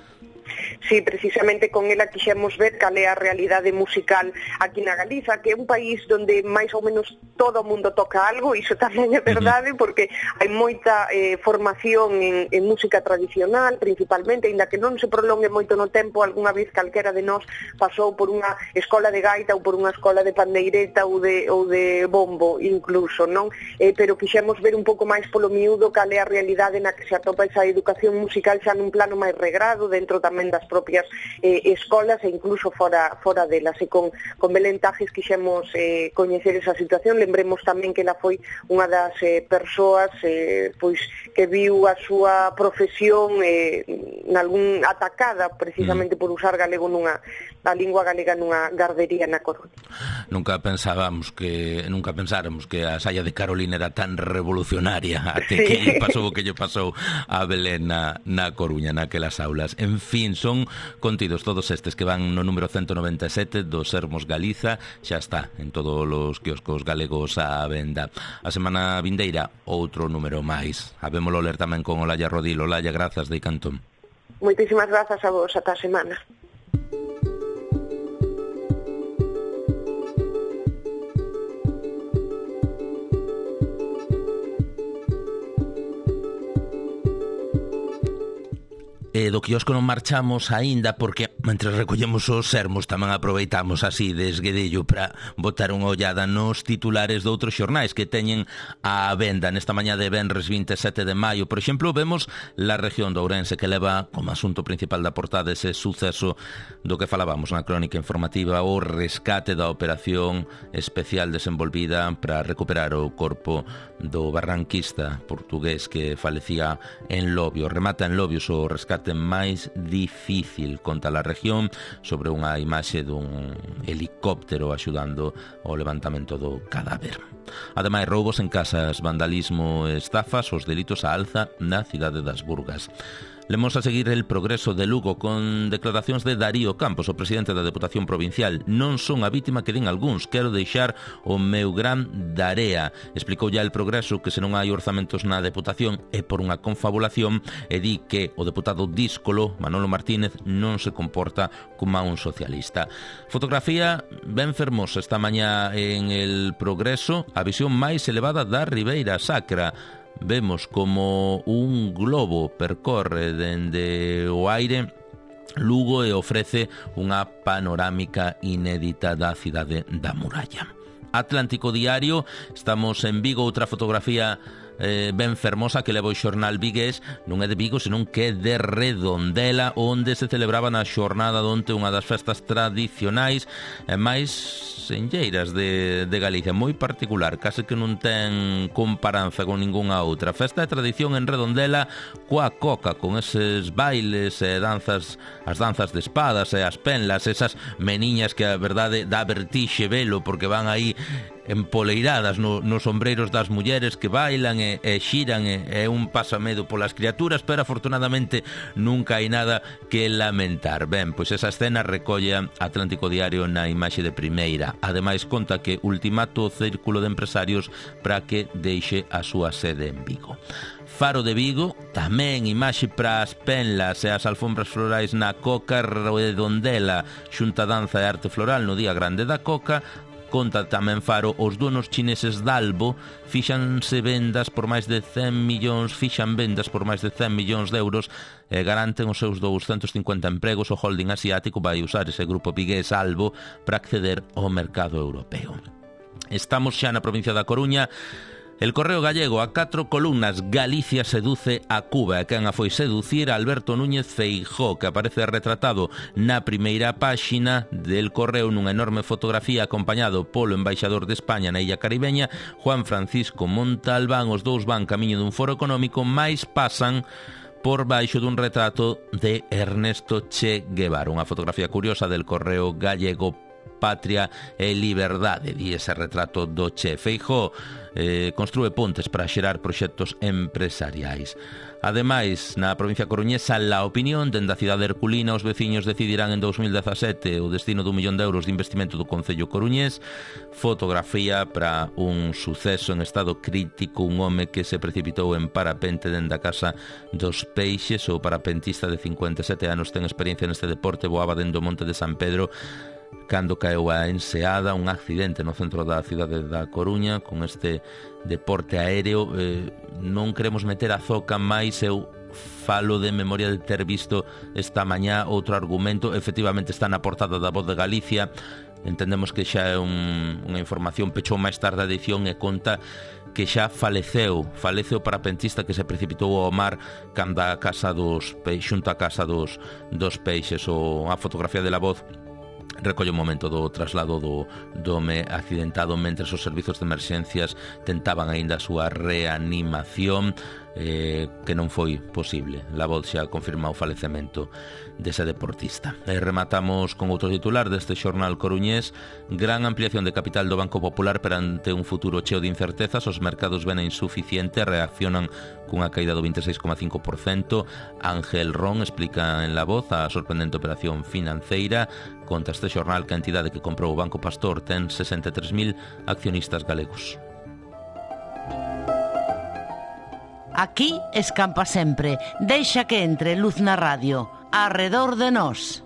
Sí, precisamente con ela quixemos ver cal é a realidade musical aquí na Galiza, que é un país onde máis ou menos todo o mundo toca algo, iso tamén é verdade, porque hai moita eh, formación en, en música tradicional, principalmente, ainda que non se prolongue moito no tempo, algunha vez calquera de nós pasou por unha escola de gaita ou por unha escola de pandeireta ou de, ou de bombo, incluso, non? Eh, pero quixemos ver un pouco máis polo miúdo cal é a realidade na que se atopa esa educación musical xa nun plano máis regrado, dentro tamén das propias eh, escolas e incluso fora fora delas. E con, con Belén Tajes quixemos eh, coñecer esa situación. Lembremos tamén que ela foi unha das eh, persoas eh, pois que viu a súa profesión eh, nalgún atacada precisamente mm. por usar galego nunha a lingua galega nunha gardería na Coruña. Nunca pensábamos que nunca pensáramos que a saia de Carolina era tan revolucionaria até sí. que lle pasou o que lle pasou a Belén na, na Coruña, naquelas aulas. En fin, son contidos todos estes que van no número ciento noventa e sete dos Sermos Galiza, xa está en todos os quioscos galegos á venda. A semana vindeira outro número máis. Habémolo ler tamén con Olalla Rodil. Olalla, grazas de Cantón. Moitísimas grazas a vos, ata a semana. E do quiosco non marchamos aínda porque mentre recollemos os sermos tamén aproveitamos así de esguedello para botar unha ollada nos titulares de outros xornais que teñen a venda nesta mañá de venres vinte e sete de maio. Por exemplo, vemos la región de Ourense que leva como asunto principal da portada ese suceso do que falábamos na crónica informativa, o rescate da operación especial desenvolvida para recuperar o corpo do barranquista portugués que falecía en Lobios. Remata en Lobios o rescate máis difícil contra a región, sobre unha imaxe dun helicóptero axudando ao levantamento do cadáver. Ademais, roubos en casas, vandalismo e estafas, os delitos a alza na cidade das Burgas. Lemos a seguir el progreso de Lugo con declaracións de Darío Campos, o presidente da Deputación Provincial. Non son a vítima que din algúns, quero deixar o meu gran darea. Explicou ya el progreso que se non hai orzamentos na Deputación é por unha confabulación e di que o deputado díscolo, Manolo Martínez, non se comporta como un socialista. Fotografía ben fermosa esta mañá en el progreso, a visión máis elevada da Ribeira Sacra. Vemos como un globo percorre dende o aire Lugo e ofrece unha panorámica inédita da cidade da Muralla. Atlántico Diario, estamos en Vigo, outra fotografía eh, ben fermosa que leva o xornal vigués, non é de Vigo, senón que é de Redondela, onde se celebraba na xornada donte unha das festas tradicionais e máis senlleiras de, de Galicia, moi particular, case que non ten comparanza con ningunha outra. Festa de tradición en Redondela coa coca, con eses bailes e danzas, as danzas de espadas e as penlas, esas meniñas que a verdade dá vertixe velo porque van aí empoleiradas no, nos sombreiros das mulleres que bailan e, e xiran e, e un pasamedo polas criaturas, pero afortunadamente nunca hai nada que lamentar. Ben, pois esa escena recolle Atlántico Diario na imaxe de primeira. Ademais conta que ultimato o círculo de empresarios para que deixe a súa sede en Vigo. Faro de Vigo, tamén imaxe para as penlas e as alfombras florais na Coca Redondela, xunta danza e arte floral no Día Grande da Coca. Conta tamén Faro, os donos chineses d'Albo fixanse vendas por máis de cen millóns, fixan vendas por máis de cen millóns de euros e garanten os seus douscentos cincuenta empregos. O holding asiático vai usar ese grupo vigués Albo para acceder ao mercado europeo. Estamos xa na provincia da Coruña El Correo Gallego a catro columnas: Galicia seduce a Cuba. E quen a foi seducir? Alberto Núñez Feijóo, que aparece retratado na primeira páxina del Correo nunha enorme fotografía acompañado polo embaixador de España na illa caribeña, Juan Francisco Montalbán. Os dous van camiño dun foro económico, mais pasan por baixo dun retrato de Ernesto Che Guevara. Unha fotografía curiosa del Correo Gallego: Patria e Liberdade, di ese retrato do Che. Feijóo eh, construe pontes para xerar proxectos empresariais. Ademais, na provincia coruñesa, La Opinión, dende a cidade herculina, os veciños decidirán en dous mil dezasete o destino dun millón de euros de investimento do Concello coruñés. Fotografía para un suceso en estado crítico: un home que se precipitou en parapente dende a casa dos Peixes. O parapentista de cincuenta e sete anos ten experiencia neste deporte, voaba dende o Monte de San Pedro cando caeu a enseada. Un accidente no centro da cidade da Coruña con este deporte aéreo. Eh, non queremos meter a zoca, máis eu falo de memoria de ter visto esta mañá outro argumento. Efectivamente está na portada da Voz de Galicia. Entendemos que xa é un, unha información, pechou máis tarde a edición e conta que xa faleceu, falece o parapentista que se precipitou ao mar cando a casa dos peixes, xunto a casa dos, dos peixes. O, a fotografía de La Voz recolle o momento do traslado do, do home accidentado mentre os servizos de emerxencias tentaban aínda a súa reanimación, eh, que non foi posible. La Voz xa confirma o falecemento dese deportista. E rematamos con outro titular deste xornal coruñés: gran ampliación de capital do Banco Popular perante un futuro cheo de incertezas. Os mercados ven insuficiente, reaccionan cunha caída do vinte e seis coma cinco por cento. Ángel Ron explica en La Voz a sorprendente operación financeira. Conta este xornal que a entidade que comprou o Banco Pastor ten sesenta e tres mil accionistas galegos. Aquí escampa sempre. Deixa que entre luz na radio. Arredor de nós.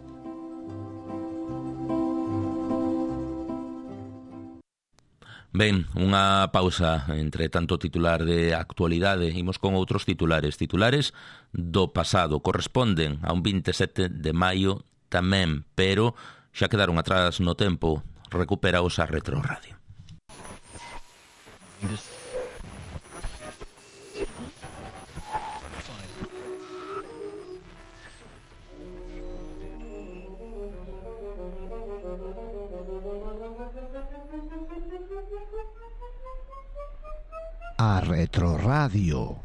Ben, unha pausa entre tanto titular de actualidade. Imos con outros titulares. Titulares do pasado. Corresponden a un vinte e sete de maio tamén, pero xa quedaron atrás no tempo. Recuperaos a Retro Radio. A Retro Radio.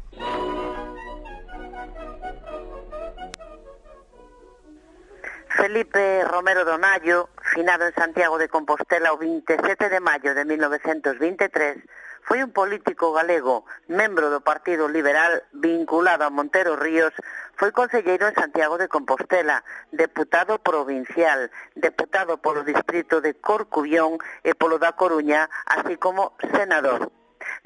Felipe Romero Donayo, finado en Santiago de Compostela o vinte e sete de maio de mil novecentos vinte e tres, foi un político galego, membro do Partido Liberal vinculado a Montero Ríos. Foi concelleiro en Santiago de Compostela, deputado provincial, deputado polo distrito de Corcubión e polo da Coruña, así como senador.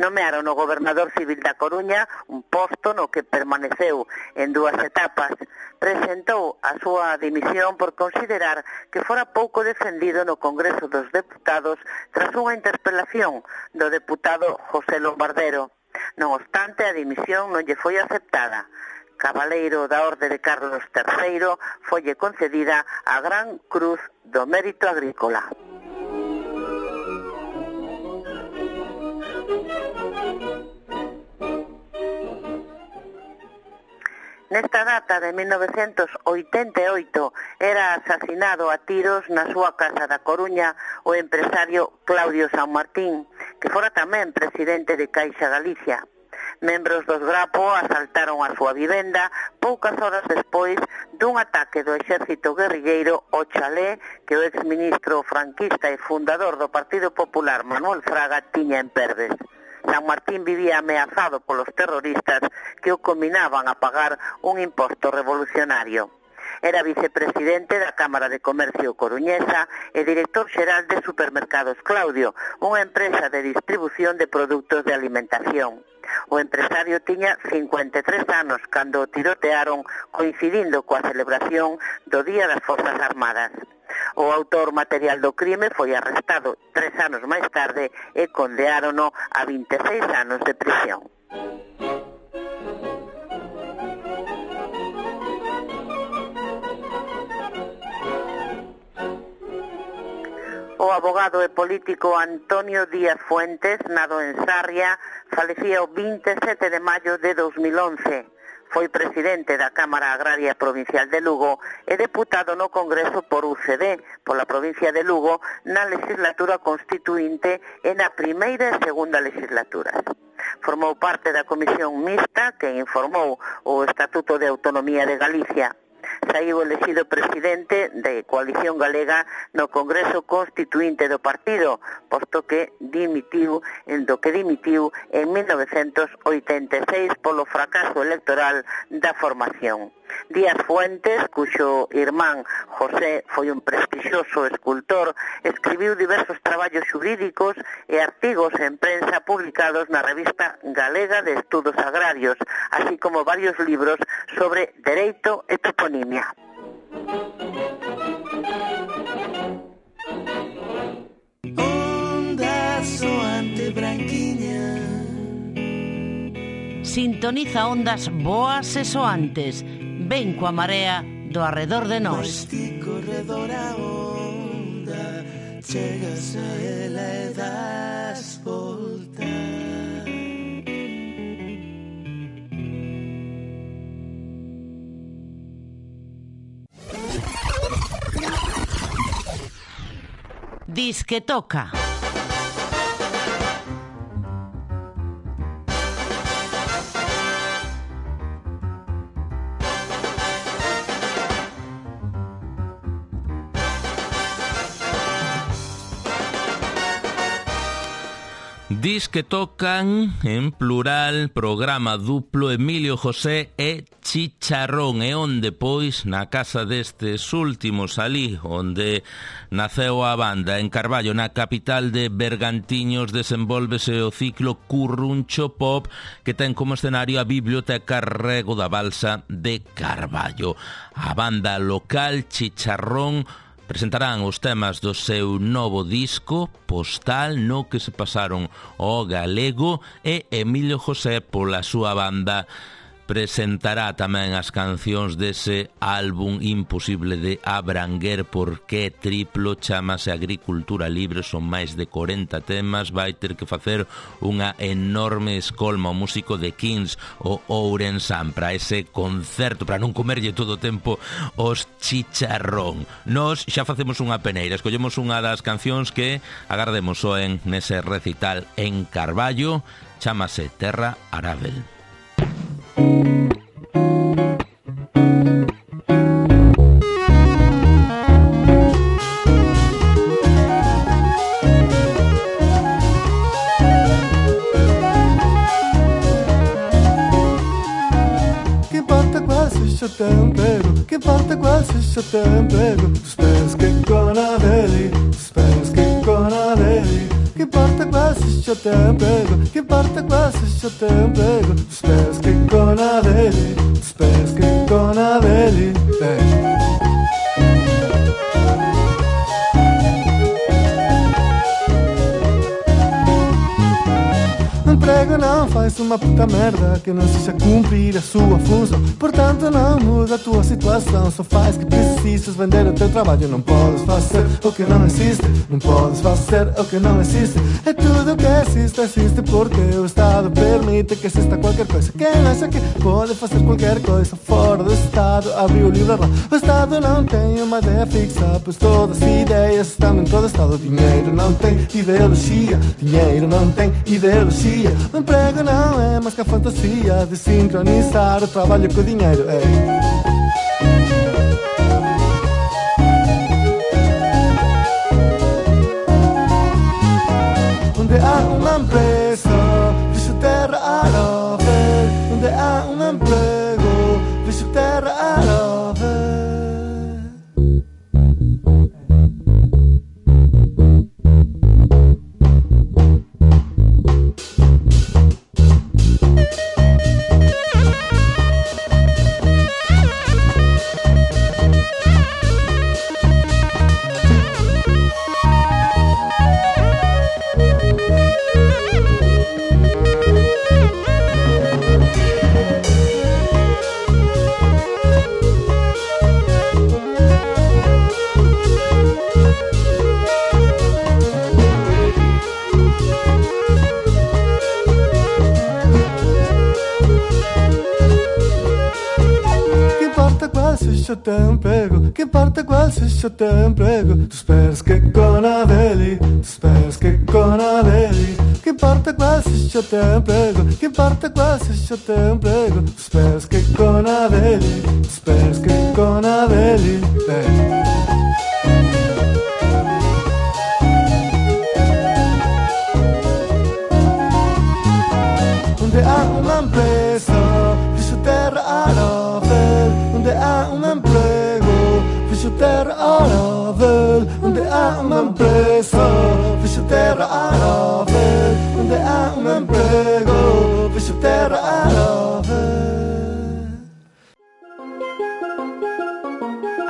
Nomearon o gobernador civil da Coruña, un posto no que permaneceu en dúas etapas. Presentou a súa dimisión por considerar que fora pouco defendido no Congreso dos Deputados tras unha interpelación do deputado José Lombardero. Non obstante, a dimisión non lle foi aceptada. Cabaleiro da Orde de Carlos terceiro, folle concedida a Gran Cruz do Mérito Agrícola. Nesta data de mil novecentos oitenta e oito era asasinado a tiros na súa casa da Coruña o empresario Claudio San Martín, que fora tamén presidente de Caixa Galicia. Membros dos Grapo asaltaron a súa vivenda poucas horas despois dun ataque do exército guerrilleiro ao chalé que o exministro franquista e fundador do Partido Popular Manuel Fraga tiña en Perves. San Martín vivía ameazado polos terroristas que o combinaban a pagar un imposto revolucionario. Era vicepresidente da Cámara de Comercio coruñesa e director xeral de Supermercados Claudio, unha empresa de distribución de produtos de alimentación. O empresario tiña cincuenta e tres anos cando o tirotearon, coincidindo coa celebración do Día das Forzas Armadas. O autor material do crime foi arrestado tres anos máis tarde e condeárono a vinte e seis anos de prisión. O abogado e político Antonio Díaz Fuentes, nado en Sarria, falecía o vinte e sete de maio de dos mil once. Foi presidente da Cámara Agraria Provincial de Lugo e deputado no Congreso por U C D, pola provincia de Lugo, na legislatura constituinte e na primeira e segunda legislaturas. Formou parte da Comisión Mixta que informou o Estatuto de Autonomía de Galicia. Saiu elexido presidente de Coalición Galega no Congreso Constituinte do partido, posto que dimitiu, en do que dimitiu en mil novecientos oitenta e seis polo fracaso electoral da formación. Díaz Fuentes, cuxo irmán José foi un prestixioso escultor, escribiu diversos traballos xurídicos e artigos en prensa publicados na revista Galega de Estudos Agrarios, así como varios libros sobre dereito e toponimia. Onda soante branquiña, sintoniza ondas boas e soantes. Ven coa marea do arredor de nós. Ti corredor a onda, chegas a ela e das volta. Dis que toca. Dis que tocan, en plural, programa duplo Emilio José e Chicharrón, e onde, pois, na casa destes últimos alí, onde naceu a banda, en Carballo, na capital de Bergantiños, desenvólvese o ciclo Curruncho Pop, que ten como escenario a Biblioteca Rego da Balsa de Carballo. A banda local Chicharrón presentarán os temas do seu novo disco Postal, no que se pasaron ao galego, e Emilio José, pola súa banda, presentará tamén as cancións dese álbum imposible de abranguer porque triplo, chamase Agricultura Libre, son máis de corenta temas, vai ter que facer unha enorme escolma o músico de Kings, o Ourensán, para ese concerto, para non comerlle todo o tempo os Chicharrón. Nos xa facemos unha peneira, escollemos unha das cancións que agardemos soen nese recital en Carballo, chamase Terra Arábel. Que importa qual seja o teu emprego, que importa qual seja o teu emprego, os pés que com a dele, os pés que com a dele. Que importa qual seja o teu emprego, que importa qual seja o teu emprego, os pés que com a dele, os pés que com a dele. O emprego não faz uma puta merda que não seja cumprir a sua função. Portanto não muda a tua situação, só faz que precisas vender o teu trabalho. Não podes fazer o que não existe, não podes fazer o que não existe. É tudo o que existe, existe porque o Estado permite que exista qualquer coisa. Quem acha que pode fazer qualquer coisa fora do Estado abriu o livro lá. O Estado não tem uma ideia fixa, pois todas as ideias estão dentro do Estado. Dinheiro não tem ideologia, dinheiro não tem ideologia. O emprego não é mais que a fantasia de sincronizar o trabalho com o dinheiro. Ei. Onde há uma empresa, vejo terra a rover. Onde há um emprego, vejo terra a rover. qual se xa ten emprego, que importa qual se xa ten emprego. Tu esperas que con a veli, tu esperas que con a veli, que importa qual se xa ten emprego, que importa qual se xa ten emprego. Tu esperas que con a veli, tu esperas que con a veli, eh. Onde há unha empresa, fixo terra arável. Onde há un emprego, fixo terra arável. Onde há unha empresa, fixo terra arável. Onde há un emprego, fixo terra arável.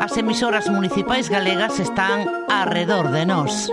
As emisoras municipais galegas están arredor de nós.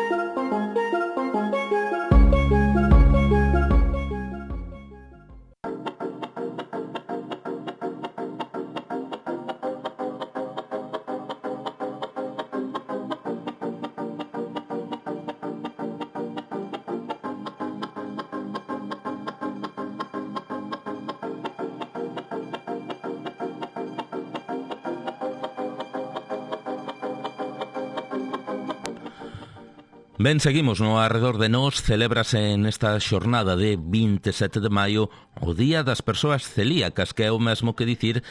Ben, seguimos no arredor de nós. Celébrase nesta xornada de vinte e sete de maio o Día das Persoas Celíacas, que é o mesmo que dicir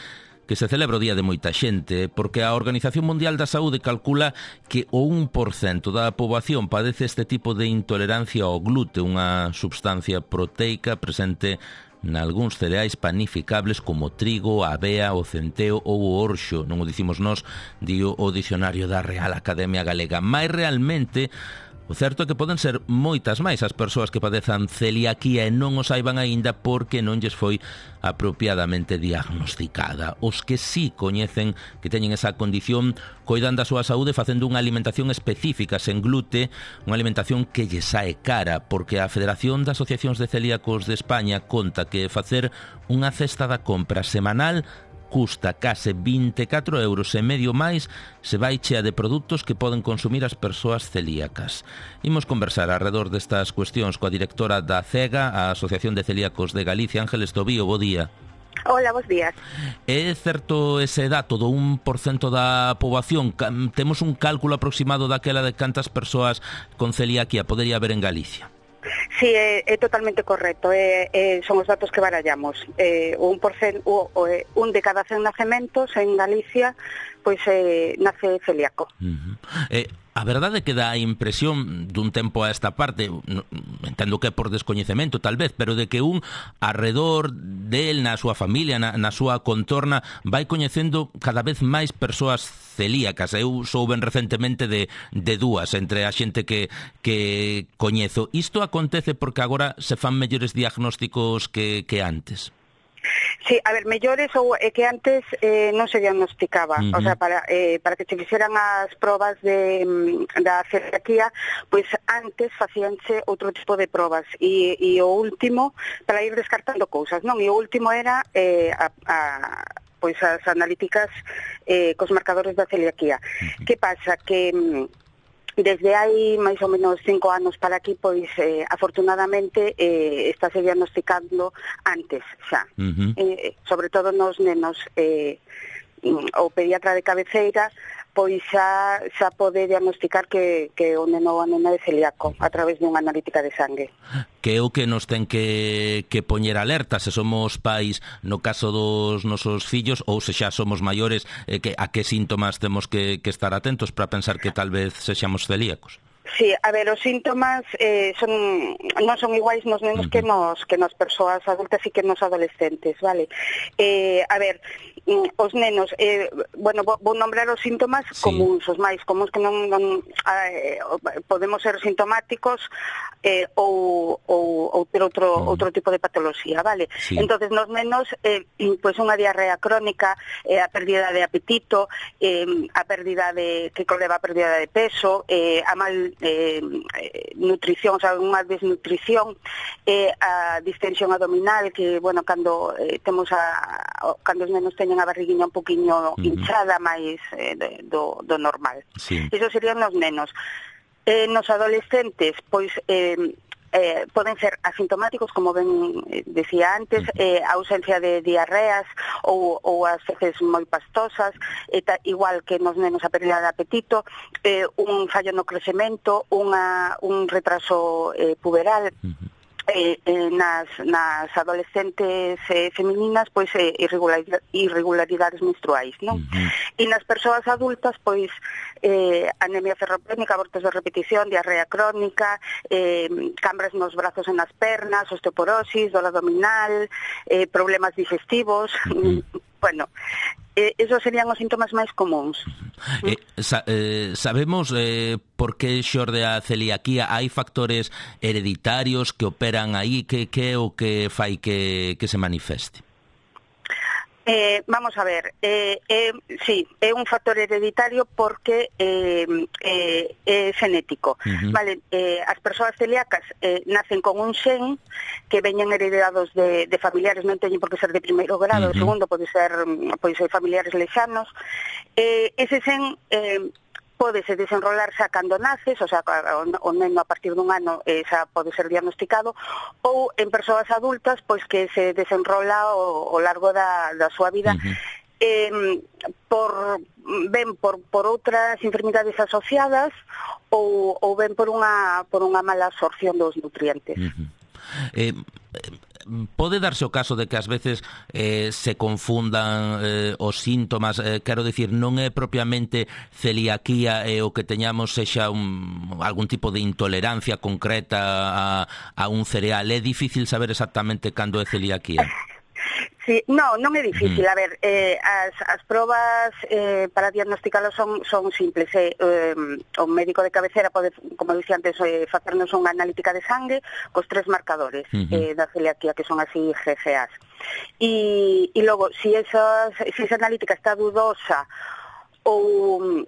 que se celebra o día de moita xente, porque a Organización Mundial da Saúde calcula que o un por cento da poboación padece este tipo de intolerancia ao glute, unha substancia proteica presente nalgúns cereais panificables como o trigo, a avea, o centeo ou o orxo. Non o dicimos nós, dio o dicionario da Real Academia Galega. Mais realmente o certo é que poden ser moitas máis as persoas que padezan celiaquía e non o saiban aínda porque non lles foi apropiadamente diagnosticada. Os que sí coñecen que teñen esa condición coidan da súa saúde facendo unha alimentación específica sen glute, unha alimentación que lle sae cara, porque a Federación de Asociacións de Celíacos de España conta que facer unha cesta da compra semanal custa case vinte e catro euros e medio máis se vai chea de produtos que poden consumir as persoas celíacas. Imos conversar alrededor destas cuestións coa directora da CEGA, a Asociación de Celíacos de Galicia, Ángeles Tobío. Bo día. Hola, bos días. É certo ese dato do un por cento da poboación? Temos un cálculo aproximado daquela de cantas persoas con celiaquía podería haber en Galicia? Sí, é, é totalmente correcto. É, é, son os datos que barallamos. É, un, por cen, o, o, un de cada cen nacementos en Galicia pois é, nace celíaco. Uh-huh. Eh, a verdade é que dá a impresión dun tempo a esta parte, entendo que é por descoñecemento tal vez, pero de que un arredor del, na súa familia, na, na súa contorna, vai coñecendo cada vez máis persoas celíacas. Eu souben recentemente de, de dúas entre a xente que, que coñezo. Isto acontece porque agora se fan mellores diagnósticos que, que antes? Sí, a ver, mellores ou é que antes eh, non se diagnosticaba, uh-huh. O sea, para eh, para que se fixeran as probas de da celiaquía, pois antes facíanse outro tipo de probas e, e o último para ir descartando cousas, non? E o último era eh, a, a pois as analíticas eh, cos marcadores da celiaquía. Uh-huh. Que pasa? Que desde hai máis ou menos cinco anos para aquí, pois, eh, afortunadamente, eh, estáse diagnosticando antes xa. Uh-huh. Eh, sobre todo nos nenos, eh, o pediatra de cabeceira, pois xa, xa pode diagnosticar que, que o neno ou a nena é celíaco a través dunha analítica de sangue. Que é o que nos ten que, que poñer alerta se somos pais no caso dos nosos fillos ou se xa somos maiores, eh, que, a que síntomas temos que, que estar atentos para pensar que tal vez sexamos celíacos. Sí, a ver, os síntomas eh, son non son iguais nos nenos uh-huh. que nos que nas persoas adultas e que nos adolescentes, vale? Eh, a ver, os nenos, eh, bueno, vou nombrar os síntomas sí. comuns, os máis comuns que non, non eh, podemos ser sintomáticos eh, ou, ou, ou ter outro, uh-huh. outro tipo de patoloxía, vale? Sí. Entonces, nos nenos, eh, pois unha diarrea crónica, eh, a pérdida de apetito, eh, a pérdida de, que conleva a pérdida de peso, eh, a mal Eh, nutrición, o sea, unha desnutrición, eh, a distensión abdominal, que, bueno, cando eh, temos a, cando os nenos teñen a barriguinha un poquinho uh-huh. hinchada máis eh, do, do normal. Sí. Eso serían os nenos. Eh, nos adolescentes, pois, eh, eh, poden ser asintomáticos, como ben eh, decía antes, eh, a ausencia de diarreas ou, ou as feces moi pastosas, e ta, igual que nos nenos a pérdida de apetito, eh, un fallo no crecemento, unha, un retraso eh, puberal. Uh-huh. Eh, eh, nas, nas adolescentes eh, femininas, pois eh, irregularidades, irregularidades menstruais, non? Uh-huh. E nas persoas adultas, pois eh, anemia ferropénica, abortos de repetición, diarrea crónica, eh, cambras nos brazos e nas pernas, osteoporosis, dor abdominal, eh, problemas digestivos. Uh-huh. Bueno, eh, esos serían os síntomas máis comuns. Eh, sa, eh, sabemos eh, por que xorde a celiaquía? Hai factores hereditarios que operan aí? Que, que é o que fai que, que se manifeste? Eh, vamos a ver, eh, eh, sí, é un factor hereditario porque eh, eh, é genético. Uh-huh. Vale, eh, as persoas celíacas eh, nacen con un xen que veñen heredados de, de familiares, non teñen por que ser de primeiro grado, uh-huh. segundo pode ser, pode ser familiares lexanos. Eh, ese xen eh, pódese desenrolar xa cando naces, o sea, o neno a partir dun ano eh, xa pode ser diagnosticado, ou en persoas adultas, pois que se desenrola ao, ao largo da, da súa vida, uh-huh. eh, por, ben por, por outras enfermidades asociadas ou, ou ben por unha, por unha mala absorción dos nutrientes. Uh-huh. Eh... Pode darse o caso de que ás veces eh, se confundan eh, os síntomas, eh, quero dicir, non é propiamente celiaquía e eh, o que teñamos sexa un, algún tipo de intolerancia concreta a, a un cereal. É difícil saber exactamente cando é celiaquía? Sí, no, non é difícil. Mm. A ver, eh, as, as probas eh, para diagnosticalo son, son simples. Eh, eh, o médico de cabecera pode, como dicía antes, eh, facernos unha analítica de sangue cos tres marcadores uh-huh. eh, da celiaquía, que son así G C As. E, e logo, si, esas, si esa analítica está dudosa ou...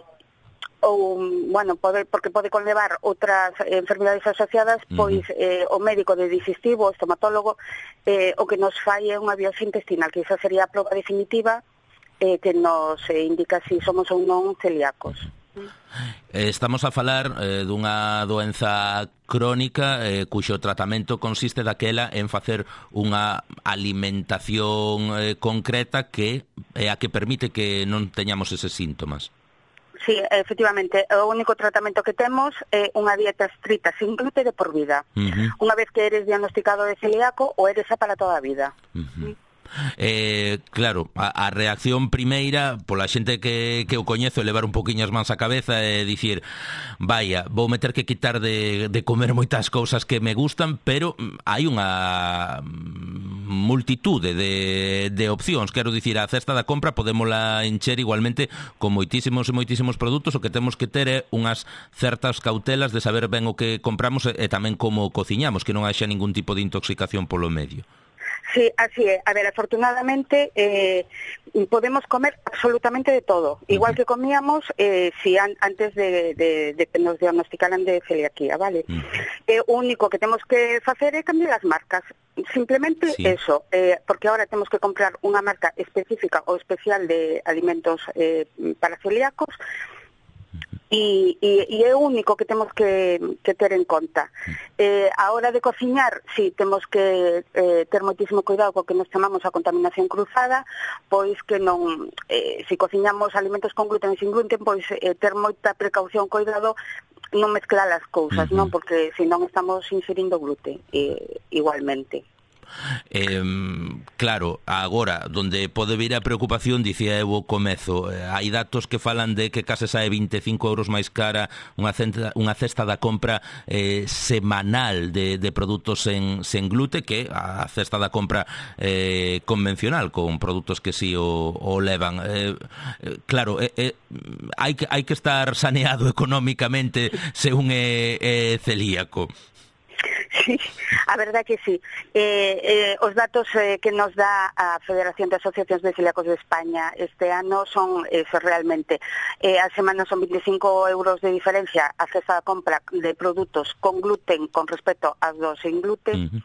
ou, bueno, pode, porque pode conlevar outras enfermidades asociadas, pois eh, o médico de digestivo, o estomatólogo, eh, o que nos fai é unha biopsia intestinal, que esa sería a proba definitiva eh, que nos eh, indica se si somos ou non celíacos. Estamos a falar eh, dunha doenza crónica eh, cuxo tratamento consiste daquela en facer unha alimentación eh, concreta que é a que permite que non teñamos eses síntomas. Sí, efectivamente, o único tratamento que temos é unha dieta estrita sin gluten de por vida. Uh-huh. Unha vez que eres diagnosticado de celíaco, ou eres xa para toda a vida. Uh-huh. Eh, claro, a, a reacción primeira pola xente que, que o coñezo é levar un poquinho as mans á cabeza e dicir, vaya, vou meter que quitar de, de comer moitas cousas que me gustan, pero hai unha multitude de, de opcións. Quero dicir, a cesta da compra podémola encher igualmente con moitísimos e moitísimos produtos. O que temos que ter é unhas certas cautelas de saber ben o que compramos e, e tamén como cociñamos, que non haxa ningún tipo de intoxicación polo medio. Sí, así é. A ver, afortunadamente eh, podemos comer absolutamente de todo. Igual uh-huh. que comíamos eh, si an, antes de, de, de que nos diagnosticaran de celiaquía, ¿vale? Uh-huh. Eh, o único que temos que facer é cambiar as marcas. Simplemente sí. eso, eh, porque ahora temos que comprar unha marca específica ou especial de alimentos eh, para celíacos. E, e, e é o único que temos que, que ter en conta. Eh, a hora de cociñar, si sí, temos que eh, ter moitísimo cuidado co que nos chamamos a contaminación cruzada, pois que non, eh, si cociñamos alimentos con gluten e sin gluten, pois eh, ter moita precaución, cuidado, non mezclar as cousas, uh-huh. non? Porque senón estamos inserindo gluten eh, igualmente. Eh, claro, agora donde pode vir a preocupación, dicía eu o comezo, eh, hai datos que falan de que case sae vinte e cinco euros máis cara unha cesta, unha cesta da compra eh, semanal de, de produtos sen, sen glute que a cesta da compra eh, convencional, con produtos que si sí o, o levan. eh, eh, claro, eh, eh, hai, que, hai que estar saneado económicamente se un é, é celíaco. Sí, a verdade que sí. Eh, eh, os datos eh, que nos dá a Federación de Asociacións de Celíacos de España este ano son eso realmente. Eh, a semana son veinticinco euros de diferencia a cesta de compra de produtos con gluten con respecto aos dos sin gluten. Uh-huh.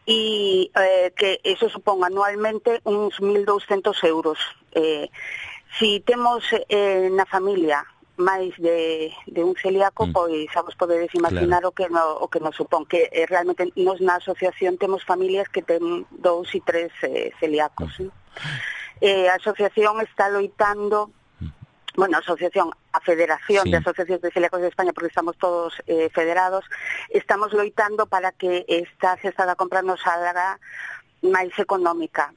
E eh, que eso supón anualmente uns mil douscentos euros. Eh, si temos eh, na familia máis de, de un celíaco, mm. pois xa vos podedes imaginar claro. o que no, o que nos supón, que eh, realmente nos na asociación temos familias que ten dous e tres eh, celíacos. Mm. Eh, a asociación está loitando, bueno, a asociación, a Federación sí. de Asociacións de Celíacos de España, porque estamos todos eh, federados, estamos loitando para que esta cesta da compra nos salga máis económica.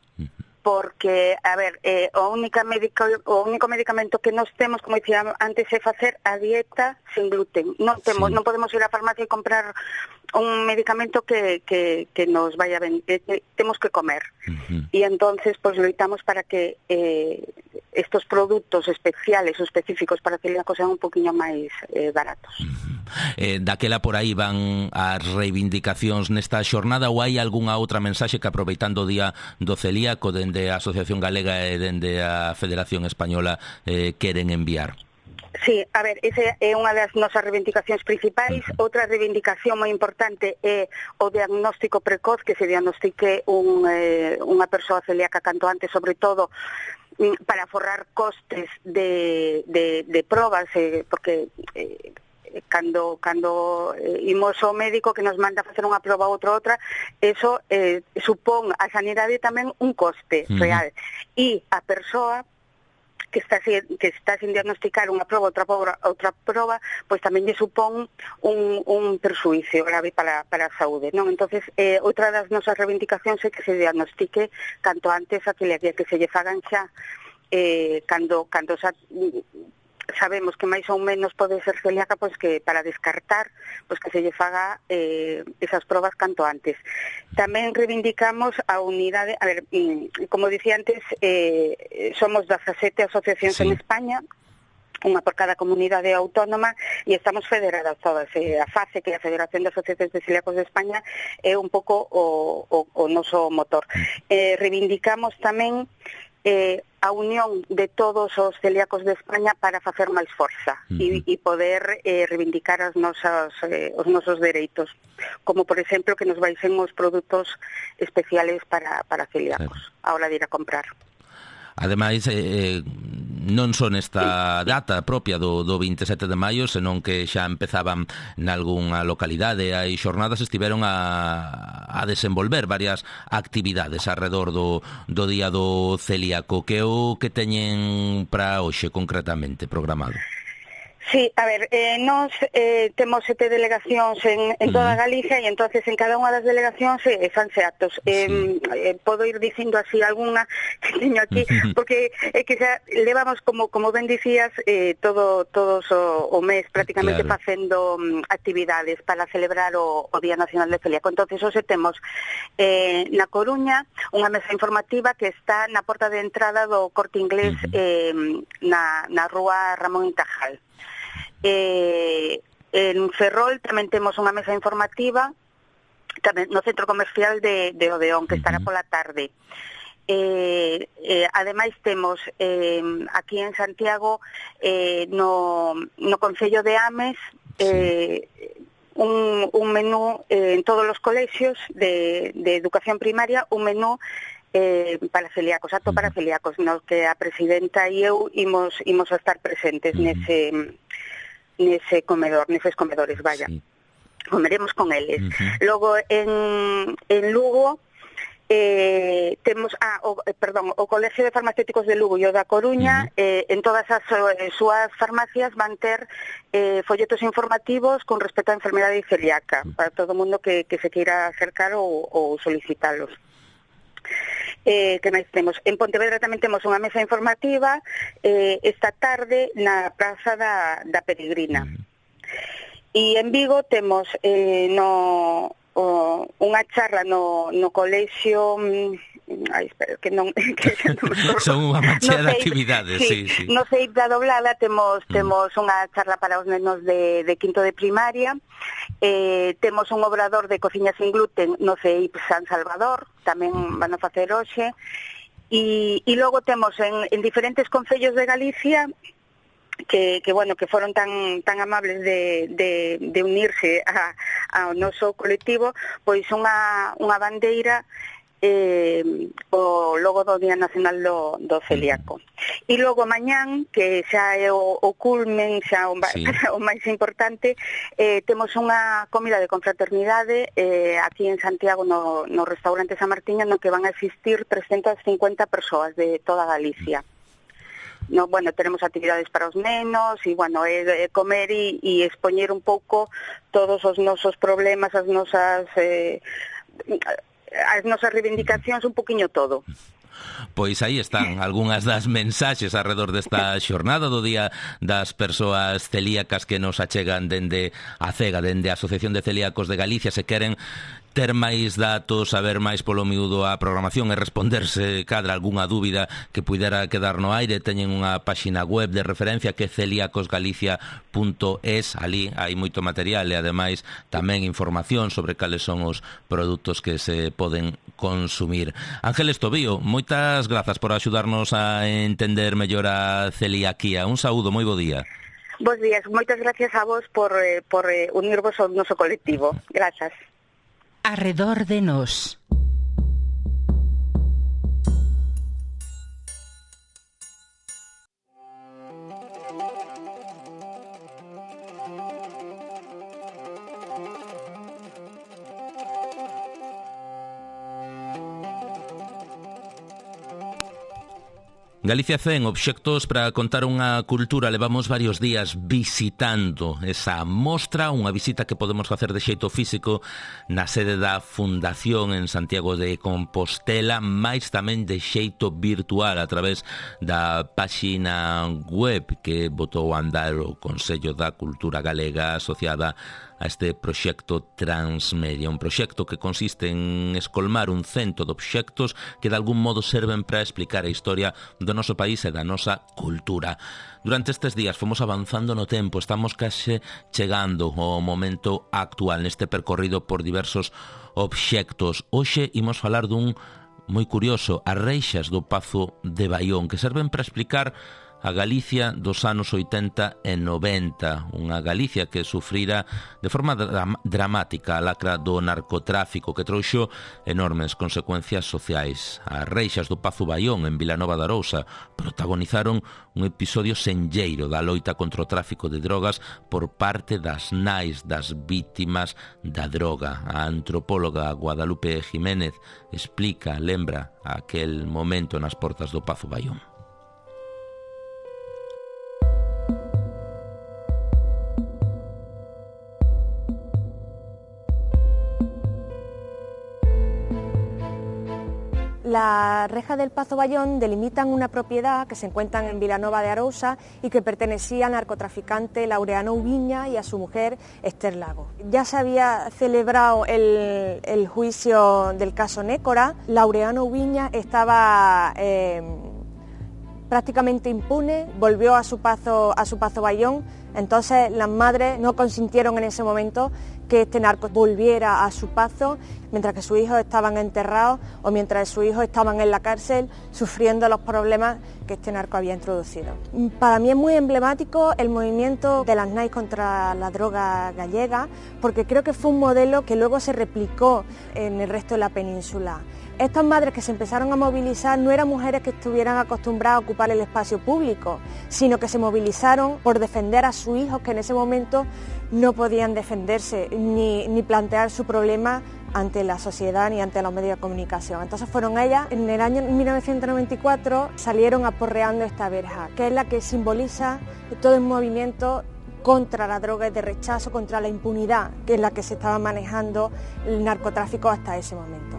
Porque, a ver, eh, o, única médico, o único medicamento que nos temos, como dicía antes, é facer a dieta sin gluten. Non temos, sí. non podemos ir á farmacia e comprar un medicamento que, que, que nos vaya ben, que, que temos que comer. Uh-huh. E entonces, pois, pues, loitamos para que eh, estos produtos especiales ou específicos para celíacos sean un poquinho máis eh, baratos. Uh-huh. Eh, daquela por aí van as reivindicacións nesta xornada, ou hai algunha outra mensaxe que, aproveitando o día do celíaco, dende a Asociación Galega e dende a Federación Española, eh, queren enviar? Sí, a ver, esa é unha das nosas reivindicacións principais. Uh-huh. Outra reivindicación moi importante é o diagnóstico precoz, que se diagnostique un, eh, unha persoa celíaca canto antes, sobre todo para forrar costes de, de, de probas, eh, porque eh, cando cando eh, imos ao médico que nos manda facer unha proba ou outra outra, eso eh, supón a sanidade tamén un coste uh-huh. real. E a persoa que está que está sin diagnosticar unha proba, outra proba, outra proba, pois tamén lle supón un, un perxuízo grave para, para a saúde, non? Entonces, eh, outra das nosas reivindicacións é que se diagnostique canto antes a que, que se lle fagan xa eh, cando, cando xa sabemos que máis ou menos pode ser celíaca, pois que para descartar, pois que se lle faga eh, esas probas canto antes. Tamén reivindicamos a unidade, a ver, como dicía antes, eh, somos dezasete asociacións sí. en España, unha por cada comunidade autónoma, e estamos federadas todas. Eh, a FACE, que é a Federación de Asociacións de Celíacos de España, é un pouco o, o, o noso motor. Eh, reivindicamos tamén eh, a unión de todos os celíacos de España para facer máis forza e, e poder eh, reivindicar as nosas, eh, os nosos dereitos, como por exemplo que nos baixen os produtos especiales para, para celíacos sí. a hora de ir a comprar. Ademais, eh, non son esta data propia do, do vinte e sete de maio, senón que xa empezaban nalgúnha localidade, hai xornadas, estiveron a, a desenvolver varias actividades alrededor do, do Día do Celíaco. Que o que teñen para hoxe concretamente programado? Sí, a ver, eh, nos eh, temos sete delegacións en, en toda Galicia e entonces en cada unha das delegacións eh, fanse actos. Eh, sí. eh, podo ir dicindo así algunha que teño aquí, porque é eh, que xa levamos, como como ben dicías, eh, todo todos o, o mes prácticamente claro. facendo um, actividades para celebrar o, o Día Nacional de Celíaco. Entonces, hoxe temos eh, na Coruña unha mesa informativa que está na porta de entrada do Corte Inglés eh, na, na rúa Ramón Intajal. Eh, en Ferrol tamén temos unha mesa informativa tamén no centro comercial de, de Odeón, que estará pola tarde. Eh, eh, ademais temos eh, aquí en Santiago eh, no, no Concello de Ames eh, un, un menú eh, en todos os colexios de, de educación primaria, un menú Eh, para celíacos, acto para celíacos, no que a presidenta e eu imos, imos a estar presentes uh-huh. nese, nese comedor, neses comedores, vaya. Sí. Comeremos con eles. Uh-huh. Logo, en, en Lugo, eh, temos, ah, o, eh, perdón, o Colegio de Farmacéuticos de Lugo e o da Coruña, uh-huh. eh, en todas as eh, súas farmacias van ter eh, folletos informativos con respecto á enfermedade celíaca, uh-huh. para todo o mundo que, que se queira acercar ou, ou solicitalos. Eh, que máis temos? En Pontevedra tamén temos unha mesa informativa eh, esta tarde na Praza da, da Peregrina. Mm. E en Vigo temos eh, no, o, unha charla no, no colexio... Ai, espera, que non... Que non Son unha mancha no de actividades, sí, sí. No Ceip da Doblada temos, mm. temos unha charla para os nenos de, de quinto de primaria, eh, temos un obrador de cociña sin gluten no Ceip San Salvador, tamén van a facer hoxe, e, e logo temos en, en diferentes concellos de Galicia que, que bueno, que foron tan tan amables de, de, de unirse a, ao noso colectivo, pois unha, unha bandeira eh, o logo do Día Nacional do, do Celíaco. E logo mañán, que xa é o, o culmen, xa o, sí. o máis importante, eh, temos unha comida de confraternidade eh, aquí en Santiago no, no restaurante San Martiño, no que van a existir trescentas cincuenta persoas de toda Galicia. No, bueno, tenemos actividades para os nenos e, bueno, é, é comer e, e expoñer un pouco todos os nosos problemas, as nosas eh, as nosas reivindicacións, un poquinho todo. Pois aí están algunhas das mensaxes alrededor desta xornada do Día das Persoas Celíacas que nos achegan dende a CEGA, dende a Asociación de Celíacos de Galicia. Se queren ter máis datos, saber máis polo miúdo a programación e responderse cadra algunha dúbida que puidera quedar no aire, teñen unha páxina web de referencia que é celíacos galicia punto es. Ali hai moito material e ademais tamén información sobre cales son os produtos que se poden consumir. Ángeles Tobío, moitas grazas por axudarnos a entender mellor a celiaquía. Un saúdo, moi bo día. Bos días, moitas gracias a vos por, eh, por eh, unirvos ao noso colectivo. Grazas. Arredor de nós. Galicia cen, obxectos para contar unha cultura. Levamos varios días visitando esa mostra, unha visita que podemos facer de xeito físico na sede da Fundación en Santiago de Compostela, máis tamén de xeito virtual a través da páxina web que botou a andar o Consello da Cultura Galega asociada a este proxecto Transmedia, un proxecto que consiste en escolmar un cento de obxectos que de algún modo serven para explicar a historia do noso país e da nosa cultura. Durante estes días fomos avanzando no tempo, estamos case chegando ao momento actual neste percorrido por diversos obxectos. Hoxe imos falar dun moi curioso, as reixas do Pazo de Baión, que serven para explicar a Galicia dos anos oitenta e noventa, unha Galicia que sufrira de forma dram- dramática a lacra do narcotráfico que trouxo enormes consecuencias sociais. As reixas do Pazo Baión en Vilanova de Arousa protagonizaron un episodio senlleiro da loita contra o tráfico de drogas por parte das nais das vítimas da droga. A antropóloga Guadalupe Jiménez explica, lembra aquel momento nas portas do Pazo Baión. Las rejas del Pazo Baión delimitan una propiedad que se encuentra en Vilanova de Arousa y que pertenecía al narcotraficante Laureano Ubiña y a su mujer Esther Lago. Ya se había celebrado el, el juicio del caso Nécora. Laureano Ubiña estaba eh, prácticamente impune, volvió a su Pazo, a su Pazo Baión. Entonces las madres no consintieron en ese momento que este narco volviera a su Pazo, mientras que sus hijos estaban enterrados o mientras sus hijos estaban en la cárcel sufriendo los problemas que este narco había introducido. Para mí es muy emblemático el movimiento de las nais contra la droga gallega, porque creo que fue un modelo que luego se replicó en el resto de la península. Estas madres que se empezaron a movilizar no eran mujeres que estuvieran acostumbradas a ocupar el espacio público, sino que se movilizaron por defender a sus hijos que en ese momento no podían defenderse ni, ni plantear su problema ante la sociedad ni ante los medios de comunicación. Entonces fueron ellas, en el año mil novecientos noventa y cuatro salieron aporreando esta verja, que es la que simboliza todo el movimiento contra la droga y de rechazo, contra la impunidad, que es la que se estaba manejando el narcotráfico hasta ese momento.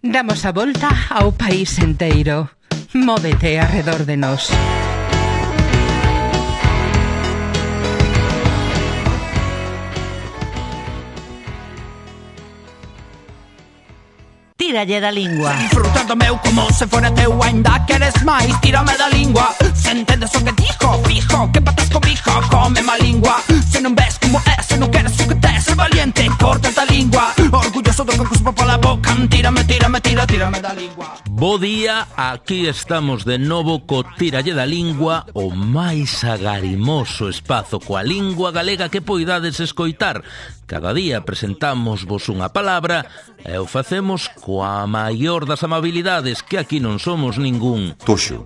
Damos a volta ao país enteiro. Móvete arredor de nós. Tíralle da lingua. Disfrutando meu como se fora teu, ainda queres máis, tírame da lingua. Se entendes o que dijo, fijo, que patas comijo, come má lingua. Se non ves como é, se non queres o que tes, ser valiente, corta a lingua. Orgulloso do que cuspo pola boca, anti tírame, tírame, tira, tírame da lingua. Bo día, aquí estamos de novo co Tíralle da Lingua, o máis agarimoso espazo coa lingua galega que poidades escoitar. Cada día presentamos vos unha palabra e o facemos coa maior das amabilidades, que aquí non somos ningún toxo.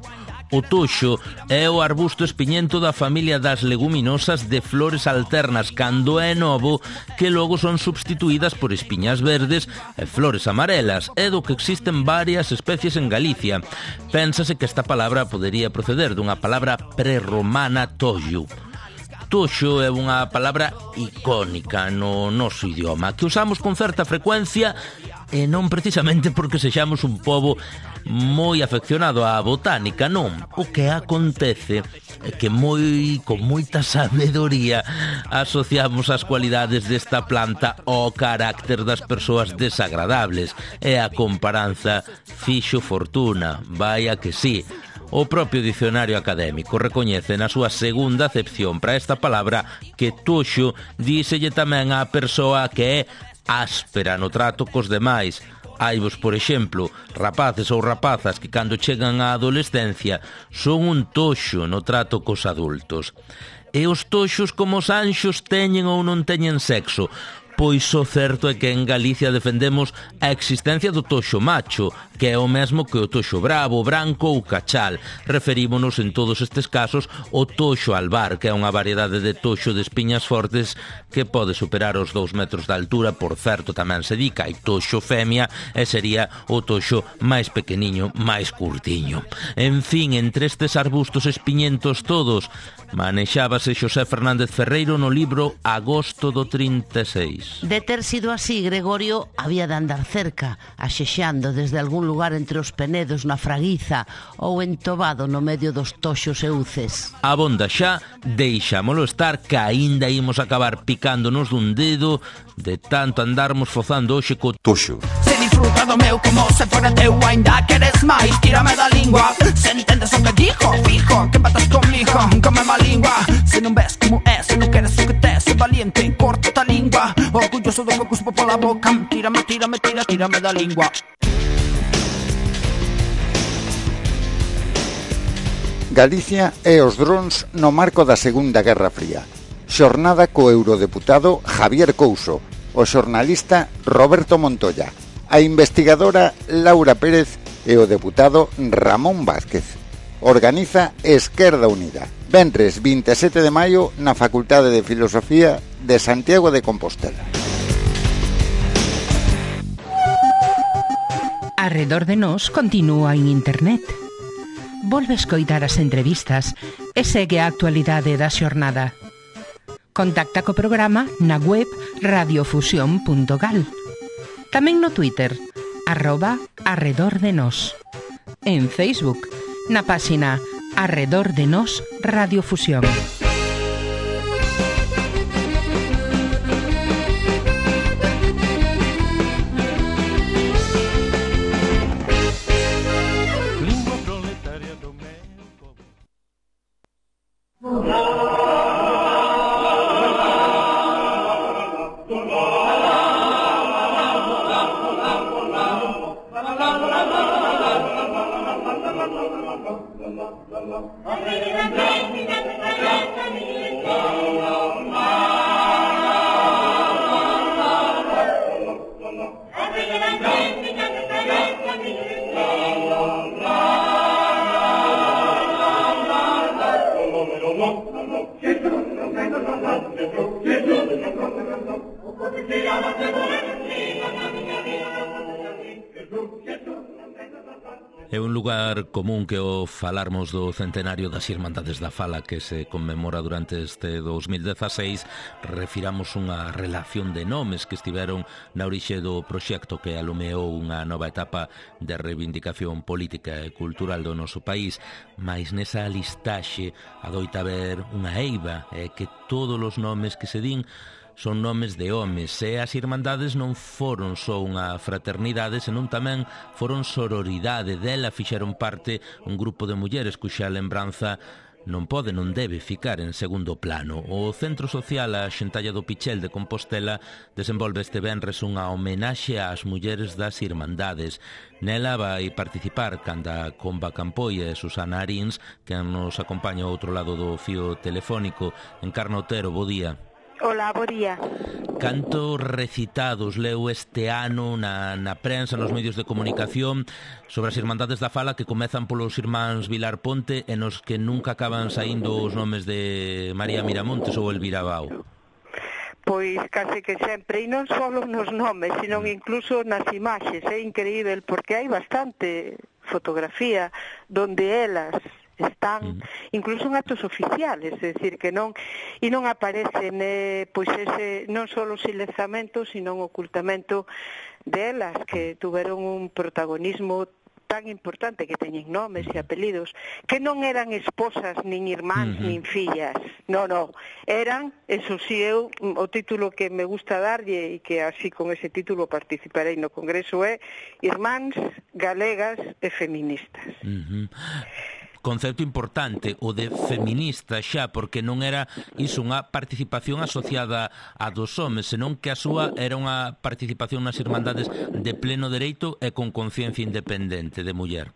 O toxo é o arbusto espiñento da familia das leguminosas de flores alternas cando é novo, que logo son substituídas por espiñas verdes e flores amarelas, e do que existen varias especies en Galicia. Pénsase que esta palabra podería proceder dunha palabra prerromana toxo. Toxo é unha palabra icónica no noso idioma, que usamos con certa frecuencia e non precisamente porque sexamos un pobo moi afeccionado á botánica, non. O que acontece é que moi con moita sabedoría asociamos as cualidades desta planta ao carácter das persoas desagradables, e a comparanza fixo fortuna, vaya que sí. O propio dicionario académico recoñece na súa segunda acepción para esta palabra que toxo díselle tamén á persoa que é áspera no trato cos demais. Haivos, por exemplo, rapaces ou rapazas que cando chegan á adolescencia son un toxo no trato cos adultos. E os toxos como os anxos teñen ou non teñen sexo? Pois o certo é que en Galicia defendemos a existencia do toxo macho, que é o mesmo que o toxo bravo, branco ou cachal. Referímonos en todos estes casos ao toxo albar, que é unha variedade de toxo de espiñas fortes que pode superar os dous metros de altura. Por certo, tamén se di que hai toxo femia e sería o toxo máis pequeniño, máis curtiño. En fin, entre estes arbustos espiñentos todos, manexábase Xosé Fernández Ferreiro no libro Agosto do trinta e seis. De ter sido así, Gregorio había de andar cerca, axexando desde algún lugar entre os penedos na fraguiza ou entobado no medio dos toxos e uces. Abonda xa, deixámolo estar, que aínda imos acabar picándonos dun dedo de tanto andarmos fozando hoxe co toxo. Se disfruta do meu como se fora teu, ainda queres máis, tírame da lingua. Se entendes o que dijo, fijo, que empatas comigo, come má lingua. Se non ves como é, se non queres o que tes, se valiente, corta ta lingua. Orgulloso do que cuspo pola boca, tírame, tírame, tira, tírame da lingua. Galicia e os drons no marco da Segunda Guerra Fría. Xornada co eurodeputado Javier Couso, o xornalista Roberto Montoya, a investigadora Laura Pérez e o deputado Ramón Vázquez. Organiza Esquerda Unida. Venres vinte e sete de maio na Facultade de Filosofía de Santiago de Compostela. Arredor de nós continúa en internet. Volve escoitar as entrevistas e segue a actualidade da xornada. Contacta co programa na web radiofusión punto gal. Tamén no Twitter, arroba arredor de nós. En Facebook, na páxina Arredor de Nós Radiofusión. É un lugar común que o falarmos do centenario das Irmandades da Fala que se conmemora durante este dos mil dezaseis, refiramos unha relación de nomes que estiveron na orixe do proxecto que alumeou unha nova etapa de reivindicación política e cultural do noso país, mais nesa listaxe adoita haber unha eiva, e que todos os nomes que se din son nomes de homes, e as irmandades non foron só unha fraternidade, senón tamén foron sororidade. Dela fixeron parte un grupo de mulleres cuxa lembranza non pode, non debe ficar en segundo plano. O Centro Social A Xentalla do Pichel de Compostela desenvolve este venres unha homenaxe ás mulleres das Irmandades. Nela vai participar canda Comba Campoy e Susana Arins, que nos acompaña ao outro lado do fío telefónico. Encarna Otero, bo día. Hola, bo día. Cantos recitados leu este ano na, na prensa, nos medios de comunicación sobre as Irmandades da Fala que comezan polos irmáns Vilar Ponte e nos que nunca acaban saindo os nomes de María Miramontes ou Elvira Bao? Pois case que sempre, e non só nos nomes, sino incluso nas imaxes. É increíble porque hai bastante fotografía donde elas están, incluso en actos oficiales, é dicir, que non e non aparecen eh, pois ese, non só o silenciamento, sino o ocultamento delas, que tuveron un protagonismo tan importante, que teñen nomes e apelidos, que non eran esposas, nin irmáns, uh-huh. nin fillas, non, non, eran, eso si eu, o título que me gusta darlle, e que así con ese título participarei no Congreso, é Irmáns Galegas e Feministas. Uh-huh. Concepto importante, o de feminista xa, porque non era iso unha participación asociada a dos homes, senón que a súa era unha participación nas Irmandades de pleno dereito e con conciencia independente de muller.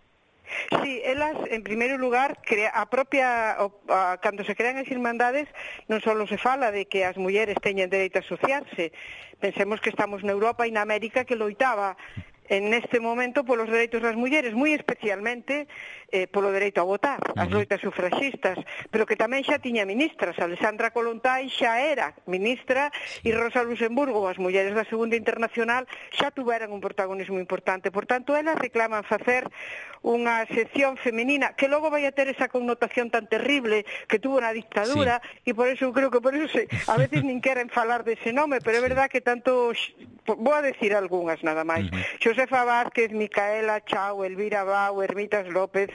Sí, elas, en primeiro lugar, crea, a propia, a, cando se crean as Irmandades, non só se fala de que as mulleres teñen dereito a asociarse. Pensemos que estamos na Europa e na América, que loitaba en este momento polos dereitos das mulleres, moi especialmente eh, polo dereito a votar, as loitas sufraxistas, pero que tamén xa tiña ministras. Alexandra Kollontai xa era ministra e Rosa Luxemburgo, as mulleres da Segunda Internacional, xa tuveran un protagonismo importante. Por tanto, elas reclaman facer unha sección femenina que logo vai a ter esa connotación tan terrible que tuvo na dictadura, sí. E por eso creo que por eso se, a veces nin queren falar dese nome, pero é verdad que tanto, vou a decir algunhas nada máis, uh-huh. Josefa Vázquez, Micaela Chao, Elvira Bao, Hermitas López,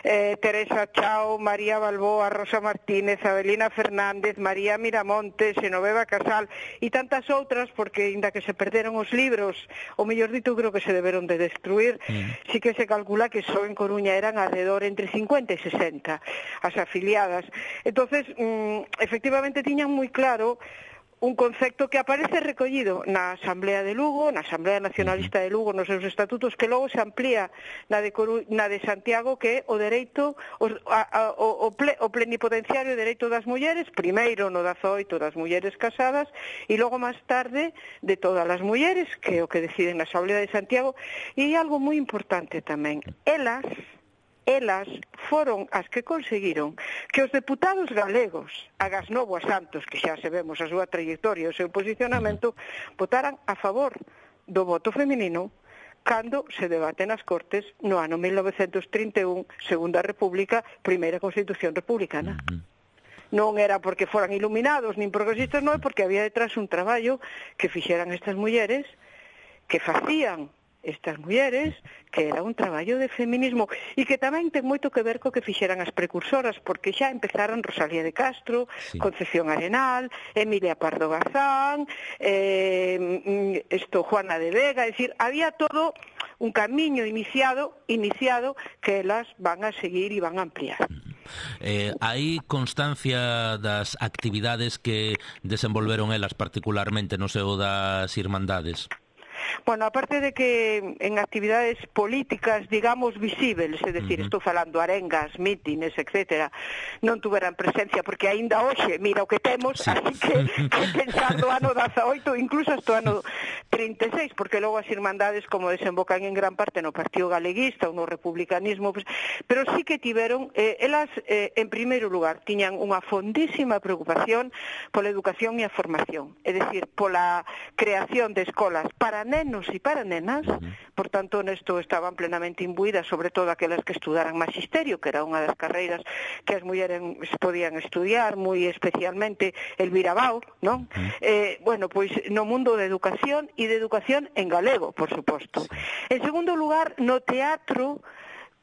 eh, Teresa Chao, María Balboa, Rosa Martínez, Abelina Fernández, María Miramontes, Xenoveva Casal e tantas outras, porque inda que se perderon os libros, o mellor dito creo que se deberon de destruir, mm. sí que se calcula que só en Coruña eran alrededor entre cincuenta e sesenta as afiliadas. Entonces, mm, efectivamente tiñan moi claro un concepto que aparece recollido na Asamblea de Lugo, na Asamblea Nacionalista de Lugo, nos seus estatutos, que logo se amplía na de, Coru... na de Santiago, que é o dereito, o, a, o, o, ple... o plenipotenciario dereito das mulleres, primeiro no dezaoito das mulleres casadas, e logo máis tarde de todas as mulleres, que é o que deciden na Asamblea de Santiago. E algo moi importante tamén, elas... elas foron as que conseguiron que os deputados galegos, agás Novo a Santos, que xa sabemos a súa trayectoria e o seu posicionamento, votaran a favor do voto feminino cando se debate nas Cortes no ano mil novecentos trinta e un, Segunda República, primeira Constitución Republicana. Non era porque foran iluminados nin progresistas, non é porque había detrás un traballo que fixeran estas mulleres, que facían estas mulleres, que era un traballo de feminismo e que tamén ten moito que ver co que fixeran as precursoras, porque xa empezaron Rosalía de Castro, sí. Concepción Arenal, Emilia Pardo Bazán, eh, esto, Juana de Vega, é dicir, había todo un camiño iniciado, iniciado que elas van a seguir e van a ampliar. Eh, hai constancia das actividades que desenvolveron elas particularmente no seo das Irmandades? Bueno, aparte de que en actividades políticas, digamos, visibles, é dicir, uh-huh. estou falando arengas, mítines, etcétera, non tuveran presencia, porque aínda hoxe, mira o que temos, sí. Así que, que pensando ano dezaoito, incluso hasta o ano trinta e seis, porque logo as Irmandades, como desembocan en gran parte no Partido Galeguista ou no republicanismo, pues, pero sí que tiveron, eh, elas, eh, en primeiro lugar, tiñan unha fondísima preocupación pola educación e a formación, é dicir, pola creación de escolas para nenos e para nenas, por tanto, nesto estaban plenamente imbuídas, sobre todo aquelas que estudaran magisterio, que era unha das carreiras que as mulleres podían estudiar, moi especialmente Elvira Bao, non? Eh, bueno, pois no mundo de educación e de educación en galego, por suposto. En segundo lugar, no teatro,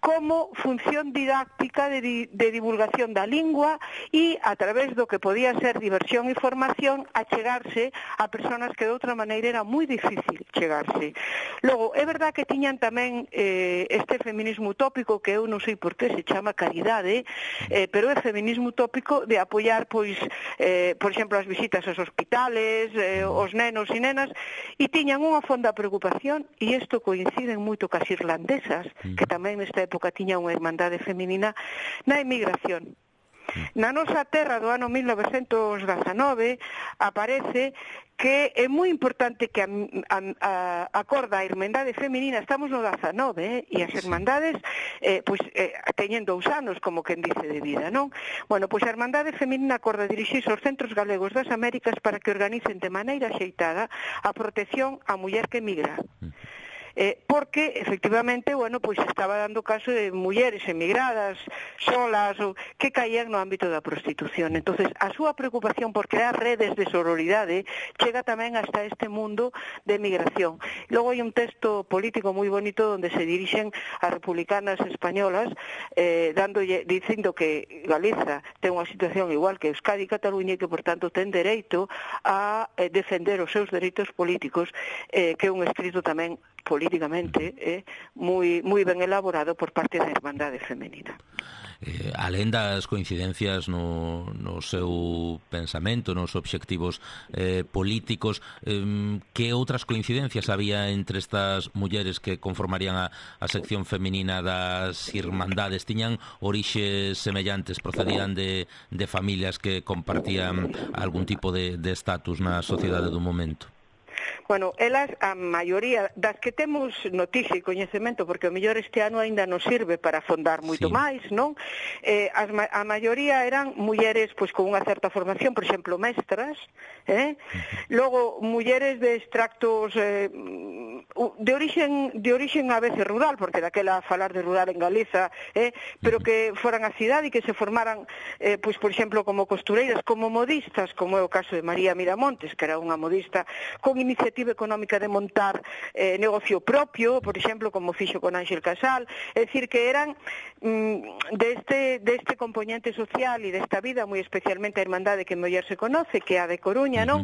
como función didáctica de, di, de divulgación da lingua e a través do que podía ser diversión e formación a chegarse a personas que de outra maneira era moi difícil chegarse. Logo, é verdad que tiñan tamén eh, este feminismo utópico que eu non sei por que se chama caridade, eh, pero é feminismo utópico de apoiar, pois, eh, por exemplo, as visitas aos hospitales, eh, os nenos e nenas, e tiñan unha fonda preocupación, e isto coincide moito cas irlandesas, que tamén nesta época tiña unha irmandade feminina, na emigración. Na nosa terra do ano mil novecentos dezanove aparece que é moi importante que a, a, a, acorda a Irmandade Feminina, estamos no dezanove, eh, e as Irmandades eh, pois, eh, teñen dous anos, como quen dice, de vida, non? Bueno, pois a Irmandade Feminina acorda dirixirse aos centros galegos das Américas para que organicen de maneira axeitada a protección á muller que emigra. Eh, porque, efectivamente, bueno, pois estaba dando caso de mulleres emigradas, solas, ou, que caían no ámbito da prostitución. Entonces, a súa preocupación por crear redes de sororidade chega tamén hasta este mundo de emigración. Logo hai un texto político moi bonito onde se dirixen as republicanas españolas eh, dándolle, dicindo que Galiza ten unha situación igual que Euskadi e Cataluña e que, por tanto, ten dereito a eh, defender os seus dereitos políticos, eh, que é un escrito tamén políticamente eh, moi, moi ben elaborado por parte da Irmandade Femenina. Eh, alén das coincidencias no, no seu pensamento, nos obxectivos eh, políticos, eh, que outras coincidencias había entre estas mulleres que conformarían a, a sección feminina das Irmandades? Tiñan orixes semellantes, procedían de, de familias que compartían algún tipo de estatus na sociedade do momento? Bueno, elas, a maioría das que temos noticia e coñecemento, porque o mellor este ano aínda nos sirve para afondar moito sí. máis, non? Eh, as, a maioría eran mulleres pois con unha certa formación, por exemplo, mestras, eh? Logo, mulleres de extractos eh, de orixen de orixen a veces rural, porque daquela falar de rural en Galiza, eh? pero que foran a cidade e que se formaran, eh, pois, por exemplo, como costureiras, como modistas, como é o caso de María Miramontes, que era unha modista con iniciativa económica de montar eh, negocio propio, por exemplo, como fixo con Ángel Casal, é dicir, que eran mm, deste, deste componente social e desta vida, moi especialmente a Irmandade que mellor se conoce, que é a de Coruña, non?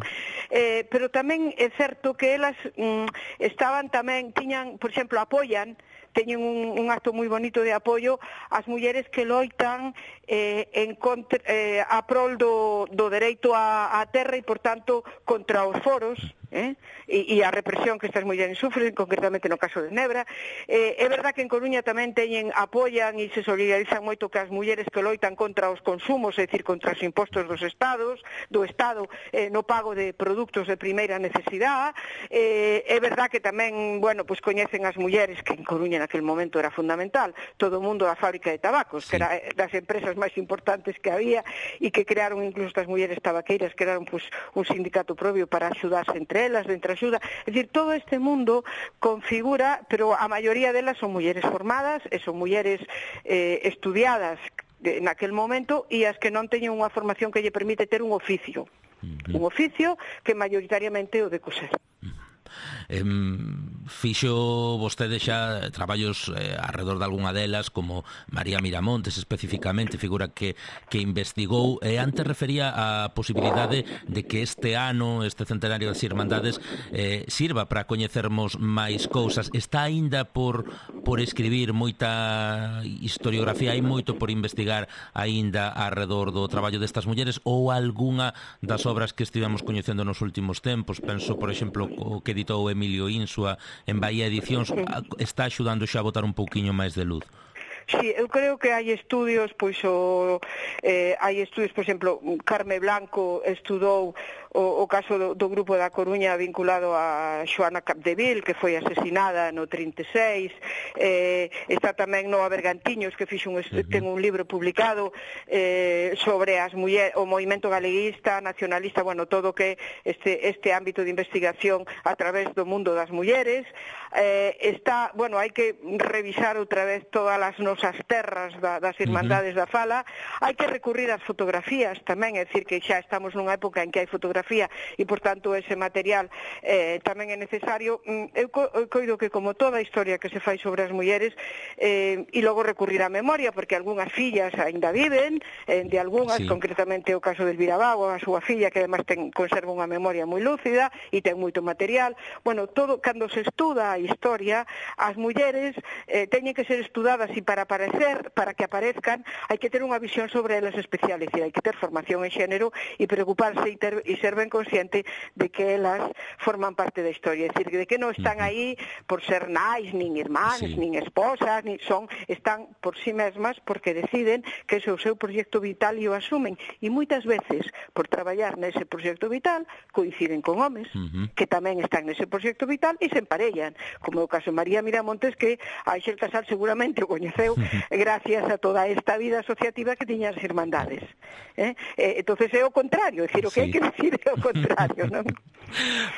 Eh, pero tamén é certo que elas mm, estaban tamén, tiñan, por exemplo, apoian, teñen un, un acto moi bonito de apoio ás mulleres que loitan eh, en contra, eh, a prol do, do dereito á, á terra e, por tanto, contra os foros, eh? e, e a represión que estas mulleres sufren, concretamente no caso de Nebra. Eh, é verdad que en Coruña tamén teñen, apoian e se solidarizan moito que as mulleres que loitan contra os consumos, é dicir, contra os impostos dos estados, do Estado eh, no pago de produtos de primeira necesidade. Eh, é verdad que tamén, bueno, pues coñecen as mulleres, que en Coruña naquele momento era fundamental, todo o mundo da fábrica de tabacos, sí. que era das empresas máis importantes que había e que crearon incluso estas mulleres tabaqueiras, crearon pues, un sindicato propio para axudarse entre elas, de entreaxuda. É dicir, todo este mundo configura, pero a maioría delas son mulleres formadas e son mulleres eh, estudiadas de, naquel momento e as que non teñen unha formación que lle permite ter un oficio. Uh-huh. Un oficio que maioritariamente o de coser. Eh, fixo vostede xa traballos eh, alrededor de algunha delas, como María Miramontes especificamente, figura que, que investigou, e antes refería a posibilidade de que este ano, este centenario das Irmandades, eh, sirva para coñecermos máis cousas. Está aínda por, por escribir moita historiografía, hai moito por investigar aínda alrededor do traballo destas mulleres, ou algunha das obras que estivemos coñecendo nos últimos tempos? Penso, por exemplo, o que editou Emilio Insua en Bahía Edicións, está axudando xa a botar un pouquiño máis de luz. Sí, eu creo que hai estudios, pois o, eh, hai estudios, por exemplo, Carme Blanco estudou o, o caso do, do grupo da Coruña vinculado a Xoana Capdeville, que foi asesinada no trinta e seis, eh, está tamén Noa Bergantiños, que fixo un, uh-huh. ten un libro publicado eh, sobre as mulleres, o movimento galeguista, nacionalista, bueno, todo que este, este ámbito de investigación a través do mundo das mulleres. Eh, está, bueno, hai que revisar outra vez todas as nociones nosas terras da, das Irmandades uh-huh. da Fala, hai que recurrir ás fotografías tamén, é dicir que xa estamos nunha época en que hai fotografía e, por tanto, ese material eh, tamén é necesario. Eu, co, eu coido que, como toda a historia que se fai sobre as mulleres, eh, e logo recurrir á memoria, porque algunhas fillas aínda viven, eh, de algunhas, sí. concretamente o caso del Virabago, a súa filla, que además ten, conserva unha memoria moi lúcida e ten moito material. Bueno, todo, cando se estuda a historia, as mulleres eh, teñen que ser estudadas e para aparecer, para que aparezcan, hai que ter unha visión sobre elas especial, é dicir, hai que ter formación en xénero e preocuparse e, ter, e ser ben consciente de que elas forman parte da historia, é dicir, de que non están aí por ser nais, nin irmáns, sí. nin esposas, nin son, están por sí mesmas porque deciden que ese é o seu proxecto vital e o asumen, e moitas veces, por traballar nese proxecto vital, coinciden con homes, uh-huh. que tamén están nese proxecto vital e se emparellan, como é o caso de María Miramontes, que a Ángel Casal seguramente o coñeceu gracias a toda esta vida asociativa que tiñan as Irmandades. Eh? Eh, entonces é o contrario, é dicir, o que sí. hai que decir é o contrario, non?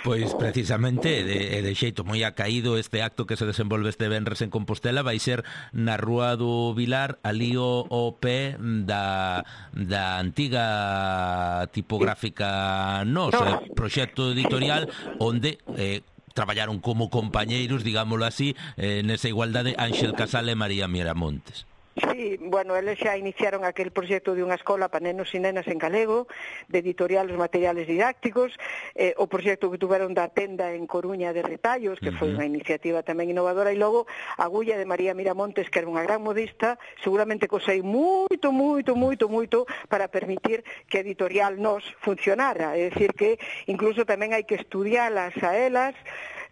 Pois precisamente de, de xeito moi acaído este acto que se desenvolve este venres en Compostela vai ser na Rúa do Vilar, ali o, o pé da, da antiga tipográfica Nos, eh, proxecto editorial onde eh, traballaron como compañeiros, digámoslo así, eh, nesa igualdade Ángel Casal e María Miramontes. Sí, bueno, eles xa iniciaron aquel proxecto de unha escola para nenos e nenas en galego, de editorial os materiales didácticos, eh, o proxecto que tuveron da tenda en Coruña de retallos, que uh-huh. foi unha iniciativa tamén innovadora, e logo a Agulla de María Miramontes, que era unha gran modista, seguramente cosei moito, moito, moito, moito para permitir que a editorial Nos funcionara, é dicir que incluso tamén hai que estudialas a elas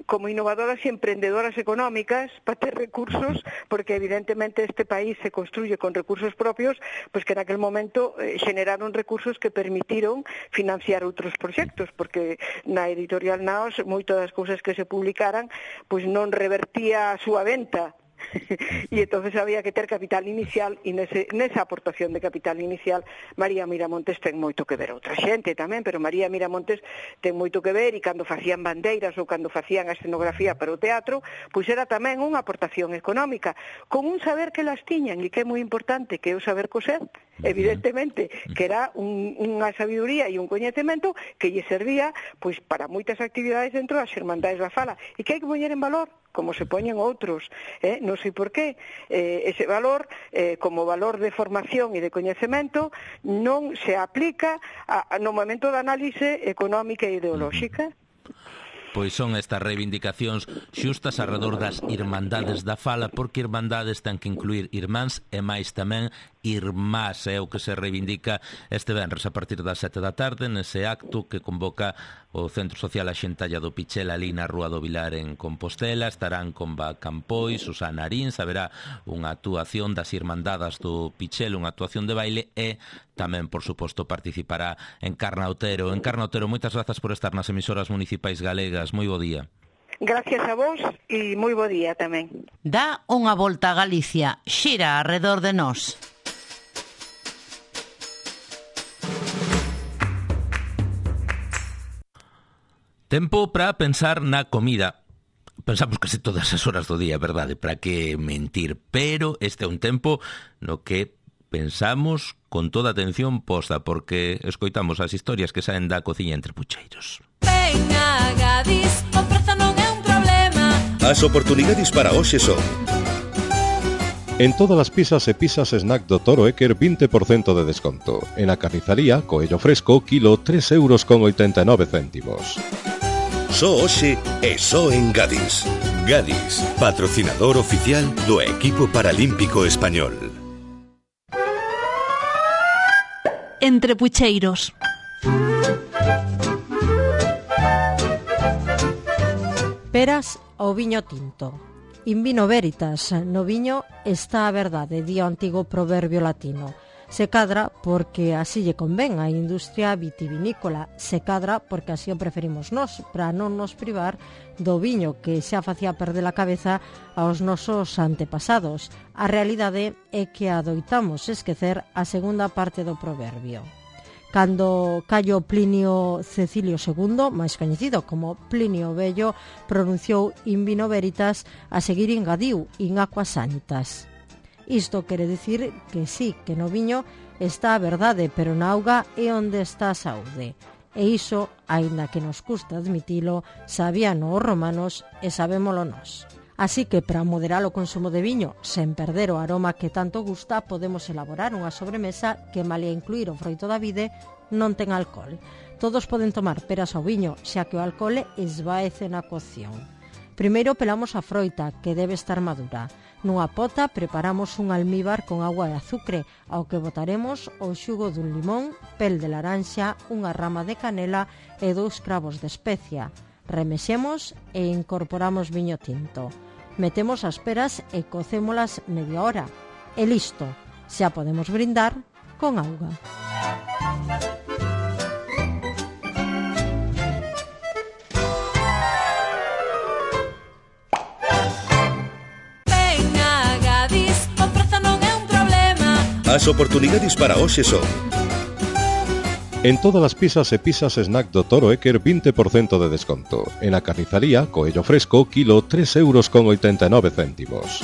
como innovadoras e emprendedoras económicas para ter recursos, porque evidentemente este país se construye con recursos propios, pues que en aquel momento eh, generaron recursos que permitiron financiar outros proxectos, porque na editorial Naos moitas das cousas que se publicaran pues non revertía a súa venta, e entonces había que ter capital inicial, e nese, nesa aportación de capital inicial María Miramontes ten moito que ver, outra xente tamén, pero María Miramontes ten moito que ver, e cando facían bandeiras ou cando facían a escenografía para o teatro, pois era tamén unha aportación económica, con un saber que las tiñan e que é moi importante, que é o saber coser, evidentemente, que era un, unha sabiduría e un coñecemento que lle servía pois para moitas actividades dentro das Irmandades da Fala, e que hai que poñer en valor, como se poñen outros, eh? non sei por qué, eh, ese valor, eh, como valor de formación e de coñecemento, non se aplica a, a, no momento da análise económica e ideolóxica. Pois son estas reivindicacións xustas alrededor das Irmandades da Fala, porque Irmandades ten que incluir irmáns e máis tamén irmás, é o que se reivindica este venres a partir das sete da tarde nese acto que convoca o Centro Social A Xentalla do Pichel ali na Rúa do Vilar en Compostela. Estarán Comba Campois, Susana Arins, haberá unha actuación das Irmandadas do Pichel, unha actuación de baile, e tamén, por suposto, participará Encarna Otero. Encarna Otero, moitas grazas por estar nas emisoras municipais galegas. Moi bo día. Gracias a vos e moi bo día tamén. Dá unha volta a Galicia, xira arredor de nós. Tempo para pensar na comida. Pensamos case todas as horas do día, verdade? Para que mentir? Pero este é un tempo no que pensamos con toda atención posta, porque escoitamos as historias que saen da cociña entre pucheiros. Venga, Gadis, o prezo non é un problema. As oportunidades para hoxe son: en todas as pizzas e pizzas snack do Toro Eker vinte por cento de desconto. En a carnizaría, coello fresco, kilo tres euros con oitenta e nove céntimos. Só hoxe e só en Gadis. Gadis, patrocinador oficial do equipo paralímpico español. Entre pucheiros. Peras ao viño tinto. In vino veritas, no viño está a verdade, di o antigo proverbio latino. Se cadra porque así lle convén á industria vitivinícola, se cadra porque así o preferimos nós, para non nos privar do viño que xa facía perder a cabeza aos nosos antepasados. A realidade é que adoitamos esquecer a segunda parte do proverbio. Cando Caio Plinio Cecilio segundo, máis coñecido como Plinio Vello, pronunciou in vino veritas, a seguir engadiu in aquas sanitas. Isto quere dicir que sí, que no viño está a verdade, pero na auga é onde está a saúde. E iso, aínda que nos custa admitilo, sabíano os romanos e sabémolo nós. Así que, para moderar o consumo de viño, sen perder o aroma que tanto gusta, podemos elaborar unha sobremesa que, malia incluir o froito da vide, non ten alcohol. Todos poden tomar peras ao viño, xa que o alcohol esvaece na cocción. Primeiro pelamos a froita, que debe estar madura. Nunha pota preparamos un almíbar con agua e azucre, ao que botaremos o xugo dun limón, pel de laranxa, unha rama de canela e dous cravos de especia. Remexemos e incorporamos viño tinto. Metemos as peras e cocémolas media hora. E listo, xa podemos brindar con auga. As oportunidades para hoxe son: en todas as pizzas e pizzas snack do Toro Équer vinte por cento de desconto. En a carnizaría, coello fresco, kilo tres euros con oitenta e nove céntimos.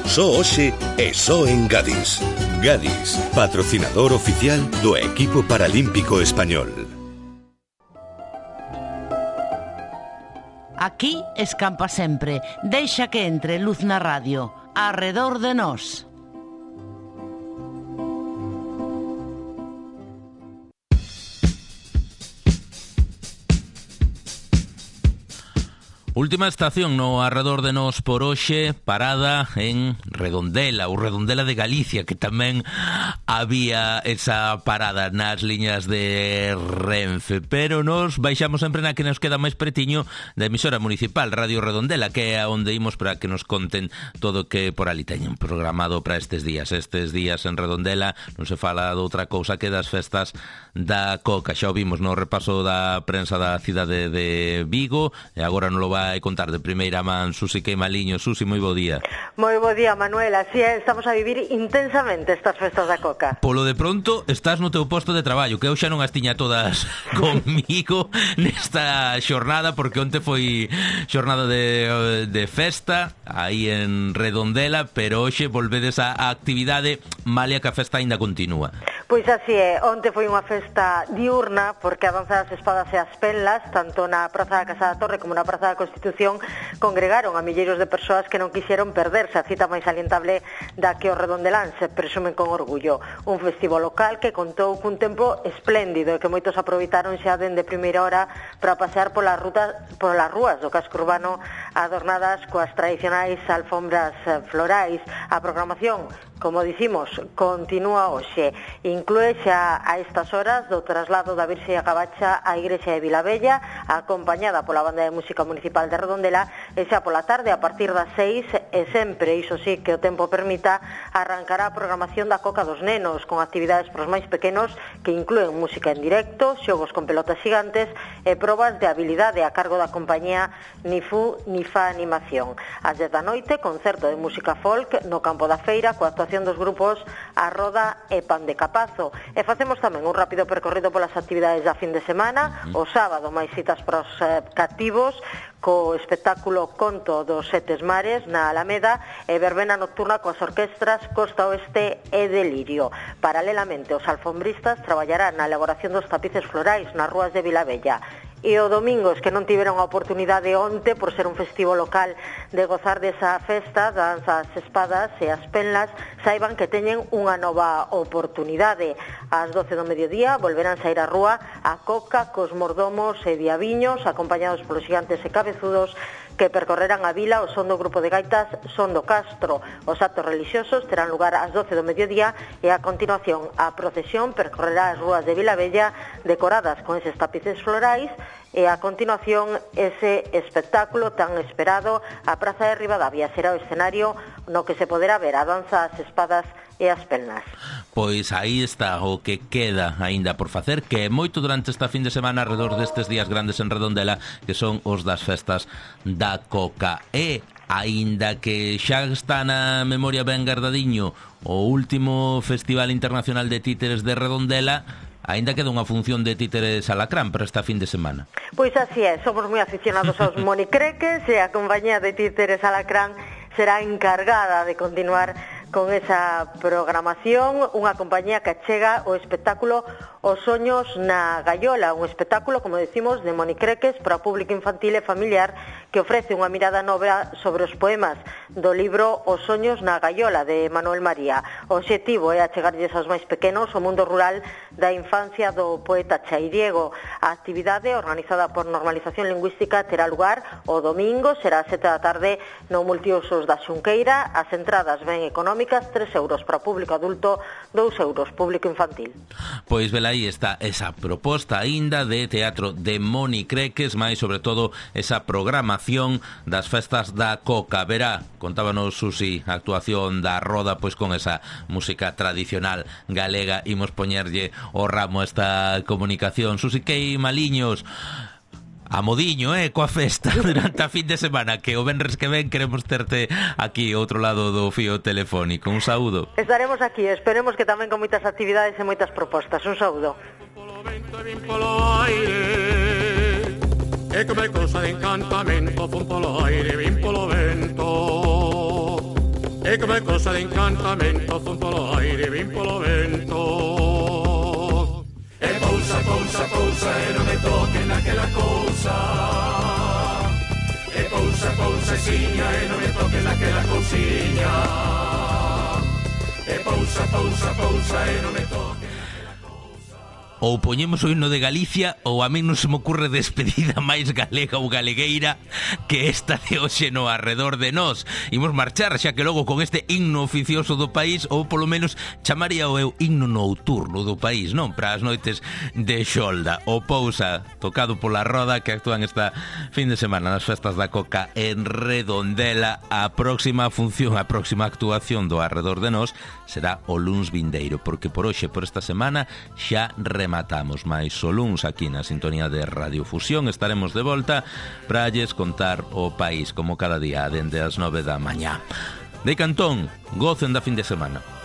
Só hoxe e só en Gadis. Gadis, patrocinador oficial do equipo paralímpico español. Aquí escampa sempre. Deixa que entre luz na radio. Arredor de nós. Última estación no arredor de nós por hoxe, parada en Redondela, ou Redondela de Galicia, que tamén había esa parada nas liñas de Renfe, pero nos baixamos sempre na que nos queda máis pretiño da emisora municipal, Radio Redondela, que é onde imos para que nos conten todo o que por ali teñen programado para estes días. Estes días en Redondela non se fala de outra cousa que das festas da Coca. Xa o vimos no repaso da prensa da cidade de Vigo, e agora non lo vai a contar de primeira man Susi Queimaliño. Susi, moi bo día. Moi bo día, Manuel. Así é, estamos a vivir intensamente estas festas da Coca. Polo de pronto, estás no teu posto de traballo, que eu xa non as tiña todas comigo nesta xornada, porque onte foi xornada de, de festa aí en Redondela, pero hoxe volvedes a actividade, malia que a festa aínda continúa. Pois así é, onte foi unha festa diurna, porque a danza das espadas e as penlas, tanto na Praza da Casa da Torre como na Praza da Constitución, congregaron a milleiros de persoas que non quixeron perderse a cita máis salientable da que os redondeláns presumen con orgullo. Un festivo local que contou cun tempo espléndido e que moitos aproveitaron xa dende primeira hora para pasear polas rutas, polas rúas do casco urbano adornadas coas tradicionais alfombras florais. A programación, como dicimos, continúa hoxe. Inclúe xa a estas horas do traslado da Virxe a Gabacha á Igrexa de Vilabella, acompañada pola Banda de Música Municipal de Redondela, e xa pola tarde, a partir das seis, e sempre, iso sí, que o tempo permita, arrancará a programación da Coca dos Nenos, con actividades para os máis pequenos que inclúen música en directo, xogos con pelotas gigantes e probas de habilidade a cargo da compañía Nifu Nifa Animación. Ás dez da noite, concerto de música folk no campo da feira, coa actuación dos grupos A Roda e Pan de Capazo. E facemos tamén un rápido percorrido polas actividades da fin de semana. O sábado, máis citas para os eh, cativos, co espectáculo Conto dos Setes Mares na Alameda e verbena nocturna coas orquestras Costa Oeste e Delirio. Paralelamente, os alfombristas traballarán na elaboración dos tapices florais nas rúas de Vilabella. E o domingo, es que non tiveron a oportunidade onte, por ser un festivo local, de gozar desa festa, danza as espadas e as penlas, saiban que teñen unha nova oportunidade. Ás doce do mediodía volverán sair á rúa a Coca cos mordomos e diabiños, acompañados polos gigantes e cabezudos, que percorrerán a vila ao son do grupo de gaitas Son do Castro. Os actos religiosos terán lugar ás doce do mediodía e a continuación a procesión percorrerá as rúas de Vilabella decoradas con eses tapices florais e a continuación ese espectáculo tan esperado. A Praza de Ribadavia será o escenario no que se poderá ver a danza as espadas e as pelnas. Pois aí está o que queda aínda por facer, que é moito durante esta fin de semana alrededor destes días grandes en Redondela, que son os das festas da Coca. E aínda que xa está na memoria ben guardadiño o último Festival Internacional de Títeres de Redondela, aínda queda unha función de títeres alacrán para esta fin de semana. Pois así é, somos moi aficionados aos monicreques e a compañía de títeres alacrán será encargada de continuar con esa programación, unha compañía que chega o espectáculo Os soños na gaiola, un espectáculo, como decimos, de Moni Creques para o público infantil e familiar que ofrece unha mirada nova sobre os poemas do libro Os soños na gaiola de Manuel María. O obxectivo é achegarlles aos máis pequenos o mundo rural da infancia do poeta Chairiego. A actividade, organizada por Normalización Lingüística, terá lugar o domingo, será a sete da tarde no Multiusos da Xunqueira. As entradas ben económicas, tres euros para o público adulto, dous euros público infantil. Pois vela aí está esa proposta aínda de teatro de Moni Creques, máis sobre todo esa programación das festas da Coca. Verá, contábanos Susi, a actuación da roda pois con esa música tradicional galega. Imos poñerlle o ramo a esta comunicación. Susi Kei Maliños, a modiño, eh, coa festa durante a fin de semana, que o venres que ven queremos terte aquí outro lado do fío telefónico. Un saúdo. Estaremos aquí, esperemos que tamén con moitas actividades e moitas propostas. Un saúdo. E come cosa de encantamento fun polo aire, vin polo vento. E come cosa de encantamento fun polo aire, vin polo vento. E pousa, pousa, pousa, e non me toquen naquela cousa. E pousa, pousa, siña, e non me toquen naquela cousiña. E pousa, pousa, pousa, e non me toquen. Ou poñemos o himno de Galicia, ou a mí non se me ocurre despedida máis galega ou galegueira que esta de hoxe no Arredor de Nós. Imos marchar, xa que logo con este himno oficioso do país, ou polo menos chamaría o eu himno nocturno do país, non? Para as noites de xolda. O Pousa, tocado pola roda, que actúan esta fin de semana nas festas da Coca en Redondela. A próxima función, a próxima actuación do Arredor de Nós será o luns vindeiro, porque por hoxe, por esta semana, xa rematamos máis o luns aquí na sintonía de Radiofusión. Estaremos de volta para lles contar o país como cada día dende as nove da mañá. De Cantón, gocen da fin de semana.